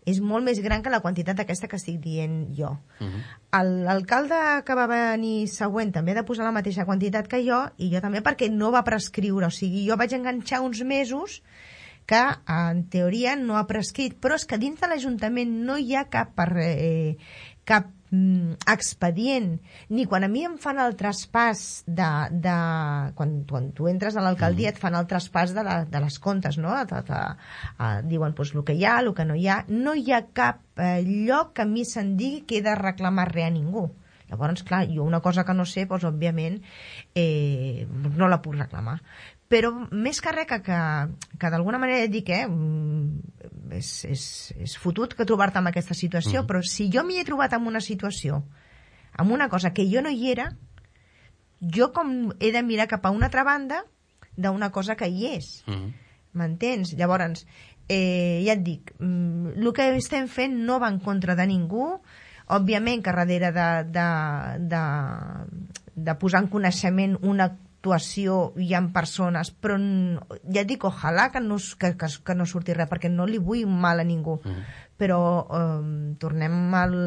és molt més gran que la quantitat aquesta que estic dient jo. Mm-hmm. L'alcalde que va venir següent també ha de posar la mateixa quantitat que jo, i jo també perquè no va prescriure. O sigui, jo vaig enganxar uns mesos que en teoria no ha prescrit, però és que dins de l'Ajuntament no hi ha cap... Eh, cap mm, expedient, ni quan a mi em fan el traspàs de... de quan, quan tu entres a l'alcaldia et fan el traspàs de, la, de les comptes, no? De, de, de, diuen pues, el que hi ha, el que no hi ha. No hi ha cap eh, lloc que a mi se'n digui que he de reclamar res a ningú. Llavors, clar, jo una cosa que no sé, doncs, òbviament, eh, no la puc reclamar. Però més que res que, que, que d'alguna manera dic, eh, és, és, és fotut que trobar-te en aquesta situació, mm. però si jo m'hi he trobat en una situació, amb una cosa que jo no hi era, jo com he de mirar cap a una altra banda d'una cosa que hi és. Mm. M'entens? Llavors, eh, ja et dic, el que estem fent no va en contra de ningú, òbviament que darrere de, de, de, de posar en coneixement una actuació hi ha persones, però ja et dic, ojalà que no, que, que, que no surti res, perquè no li vull mal a ningú. Mm. Però eh, tornem a el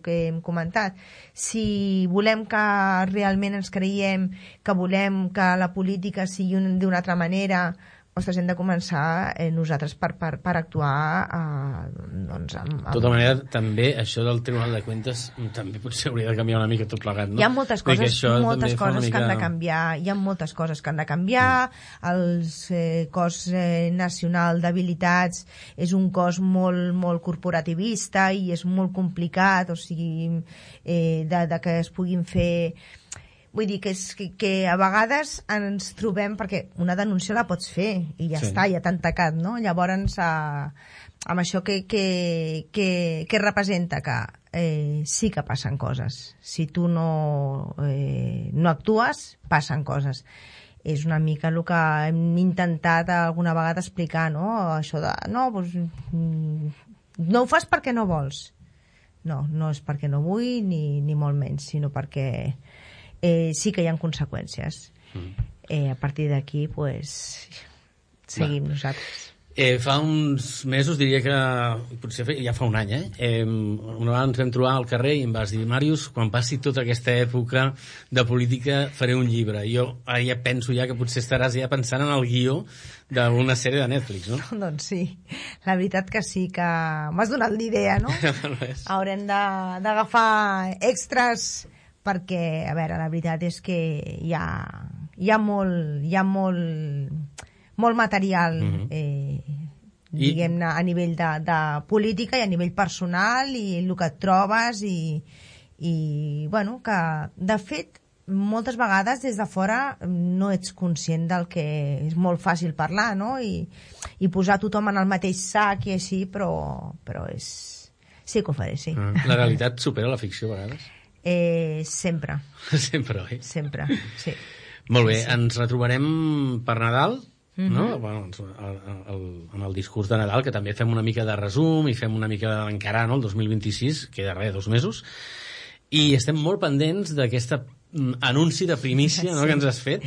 que hem comentat. Si volem que realment ens creiem, que volem que la política sigui d'una altra manera, ostres, hem de començar eh, nosaltres per, per, per actuar eh, doncs, amb, amb... De tota manera, també això del Tribunal de Cuentas també potser hauria de canviar una mica tot plegat, no? Hi ha moltes coses, moltes coses mica... que han de canviar, hi ha moltes coses que han de canviar, mm. el eh, cos eh, nacional d'habilitats és un cos molt, molt corporativista i és molt complicat, o sigui, eh, de, de que es puguin fer... Vull dir que, és, que, que a vegades ens trobem, perquè una denúncia la pots fer i ja sí. està, ja t'han tacat, no? Llavors, eh, amb això que, que, que, que representa que eh, sí que passen coses. Si tu no, eh, no actues, passen coses. És una mica el que hem intentat alguna vegada explicar, no? Això de, no, doncs, no ho fas perquè no vols. No, no és perquè no vull, ni, ni molt menys, sinó perquè... Eh, sí que hi ha conseqüències. Mm. Eh, a partir d'aquí, pues, seguim Va. nosaltres. Eh, fa uns mesos, diria que potser ja fa un any, eh? eh una vegada ens vam trobar al carrer i em vas dir, Màrius, quan passi tota aquesta època de política faré un llibre. I jo ara ja penso ja que potser estaràs ja pensant en el guió d'una sèrie de Netflix, no? Doncs sí, la veritat que sí, que m'has donat l'idea, no? Haurem d'agafar extras perquè, a veure, la veritat és que hi ha, hi ha molt, hi ha molt, molt material, mm-hmm. eh, diguem-ne, a nivell de, de política i a nivell personal i el que et trobes i, i bueno, que de fet moltes vegades des de fora no ets conscient del que és molt fàcil parlar, no? I, i posar tothom en el mateix sac i així, però, però és... sí que ho faré, sí. La realitat supera la ficció a vegades? Eh, sempre. Sempre, oi? Sempre, sí. Molt bé, sí, sí. Ens retrobarem per Nadal, mm-hmm. no? Bueno, el, el, en el discurs de Nadal, que també fem una mica de resum i fem una mica d'encarar, no?, el dos mil vint-i-sis, queda res, dos mesos, i estem molt pendents d'aquesta anunci de primícia, no?, sí. que ens has fet,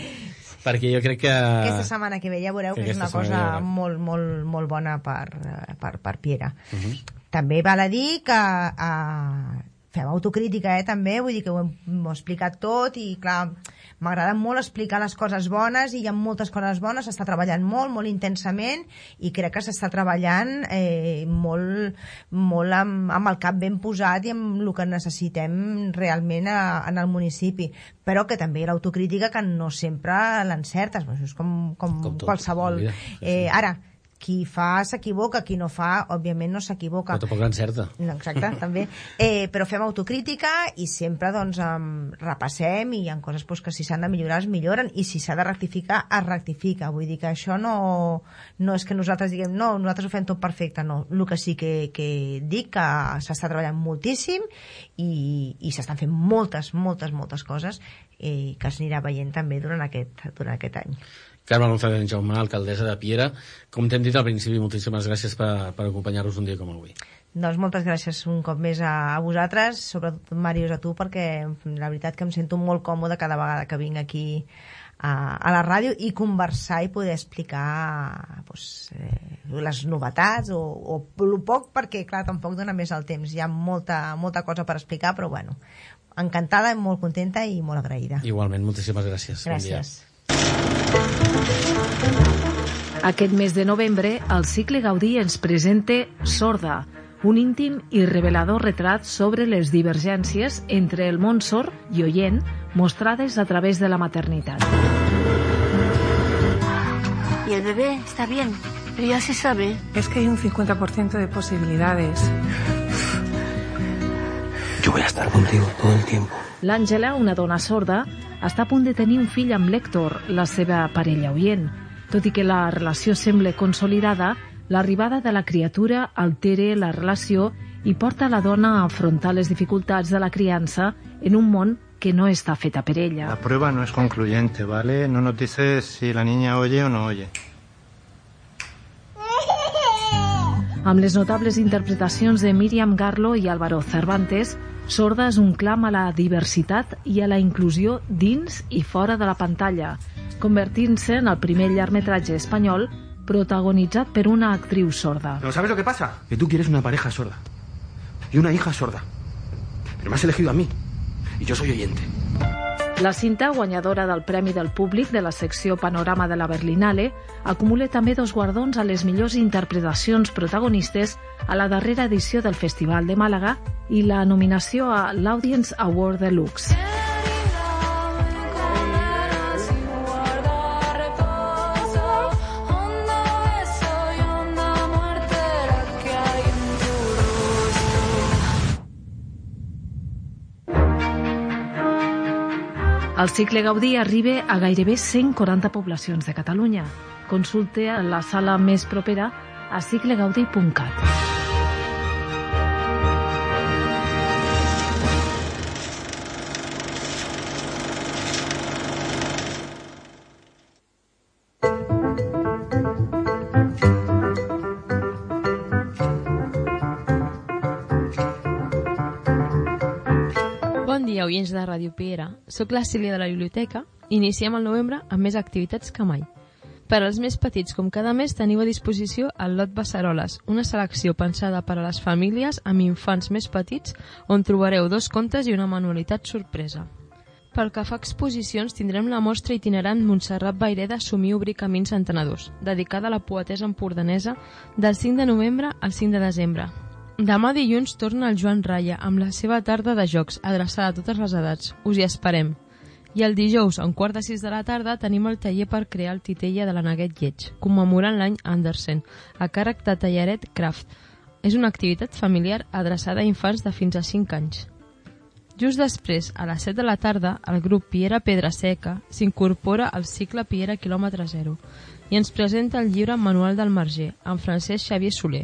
perquè jo crec que... Aquesta setmana que ve ja veureu que, que és una cosa molt, molt, molt bona per, per, per Piera. Uh-huh. També val a dir que uh, fem autocrítica, eh, també, vull dir que ho hem, ho he explicat tot i, clar, m'agrada molt explicar les coses bones i hi ha moltes coses bones, s'està treballant molt, molt intensament i crec que s'està treballant eh, molt, molt amb, amb el cap ben posat i amb el que necessitem realment a, en el municipi, però que també l'autocrítica que no sempre l'encertes, això és com, com, com tot, qualsevol. Eh, ara, qui fa s'equivoca, qui no fa, òbviament no s'equivoca. Però tampoc l'encerta. No, exacte, també. Eh, però fem autocrítica i sempre doncs, um, repassem i hi ha coses pues, que si s'han de millorar es milloren i si s'ha de rectificar es rectifica. Vull dir que això no, no és que nosaltres diguem no, nosaltres ho fem tot perfecte, no. El que sí que, que dic que s'està treballant moltíssim i, i s'estan fent moltes, moltes, moltes coses eh, que es anirà veient també durant aquest, durant aquest any. Carme González Jaume, alcaldessa de Piera, com t'hem dit al principi, moltíssimes gràcies per, per acompanyar-nos un dia com avui. Doncs moltes gràcies un cop més a, a vosaltres, sobretot Màrius a tu, perquè la veritat que em sento molt còmode cada vegada que vinc aquí a, a la ràdio i conversar i poder explicar pues, eh, les novetats o, o el poc, perquè clar, tampoc dona més el temps, hi ha molta, molta cosa per explicar, però bueno, encantada, molt contenta i molt agraïda. Igualment, moltíssimes gràcies. Gràcies. Bon Aquest mes de novembre, el cicle Gaudí ens presenta Sorda, un íntim i revelador retrat sobre les divergències entre el món sord i oient mostrades a través de la maternitat. Y el bebé está bien, pero ya se sabe. Es que hay un cincuenta por ciento de posibilidades. Yo voy a estar contigo todo el tiempo. L'Àngela, una dona sorda, està a punt de tenir un fill amb l'Héctor, la seva parella oient. Tot i que la relació sembla consolidada, l'arribada de la criatura altera la relació i porta la dona a afrontar les dificultats de la criança en un món que no està feta per ella. La prueba no es concluyente, ¿vale? No nos dices si la niña oye o no oye. Amb les notables interpretacions de Míriam Garlo i Álvaro Cervantes, Sorda és un clam a la diversitat i a la inclusió dins i fora de la pantalla, convertint-se en el primer llargmetratge espanyol protagonitzat per una actriu sorda. ¿Pero sabes lo que pasa? Que tú quieres una pareja sorda y una hija sorda. Pero me has elegido a mí y yo soy oyente. La cinta, guanyadora del Premi del Públic de la secció Panorama de la Berlinale, acumula també dos guardons a les millors interpretacions protagonistes a la darrera edició del Festival de Màlaga i la nominació a l'Audience Award Deluxe. El cicle Gaudí arriba a gairebé cent quaranta poblacions de Catalunya. Consulta la sala més propera a cicle gaudí punt cat. Bon dia, oients de Ràdio Piera. Soc la Sílvia de la Biblioteca i iniciem el novembre amb més activitats que mai. Per als més petits, com cada mes, teniu a disposició el Lot Beceroles, una selecció pensada per a les famílies amb infants més petits, on trobareu dos contes i una manualitat sorpresa. Pel que fa a exposicions, tindrem la mostra itinerant Montserrat Vaireda Somir obrir camins entenedors, dedicada a la poetessa empordanesa del cinc de novembre al cinc de desembre. Demà dilluns torna el Joan Raya amb la seva tarda de jocs, adreçada a totes les edats. Us hi esperem. I el dijous, a un quart de sis de la tarda, tenim el taller per crear el titella de la Neguet Lleig, commemorant l'any Andersen, a càrrec de Tallaret Craft. És una activitat familiar adreçada a infants de fins a cinc anys. Just després, a les set de la tarda, el grup Piera Pedraseca s'incorpora al cicle Piera quilòmetre zero i ens presenta el llibre Manual del Marger, amb Francesc Xavier Soler,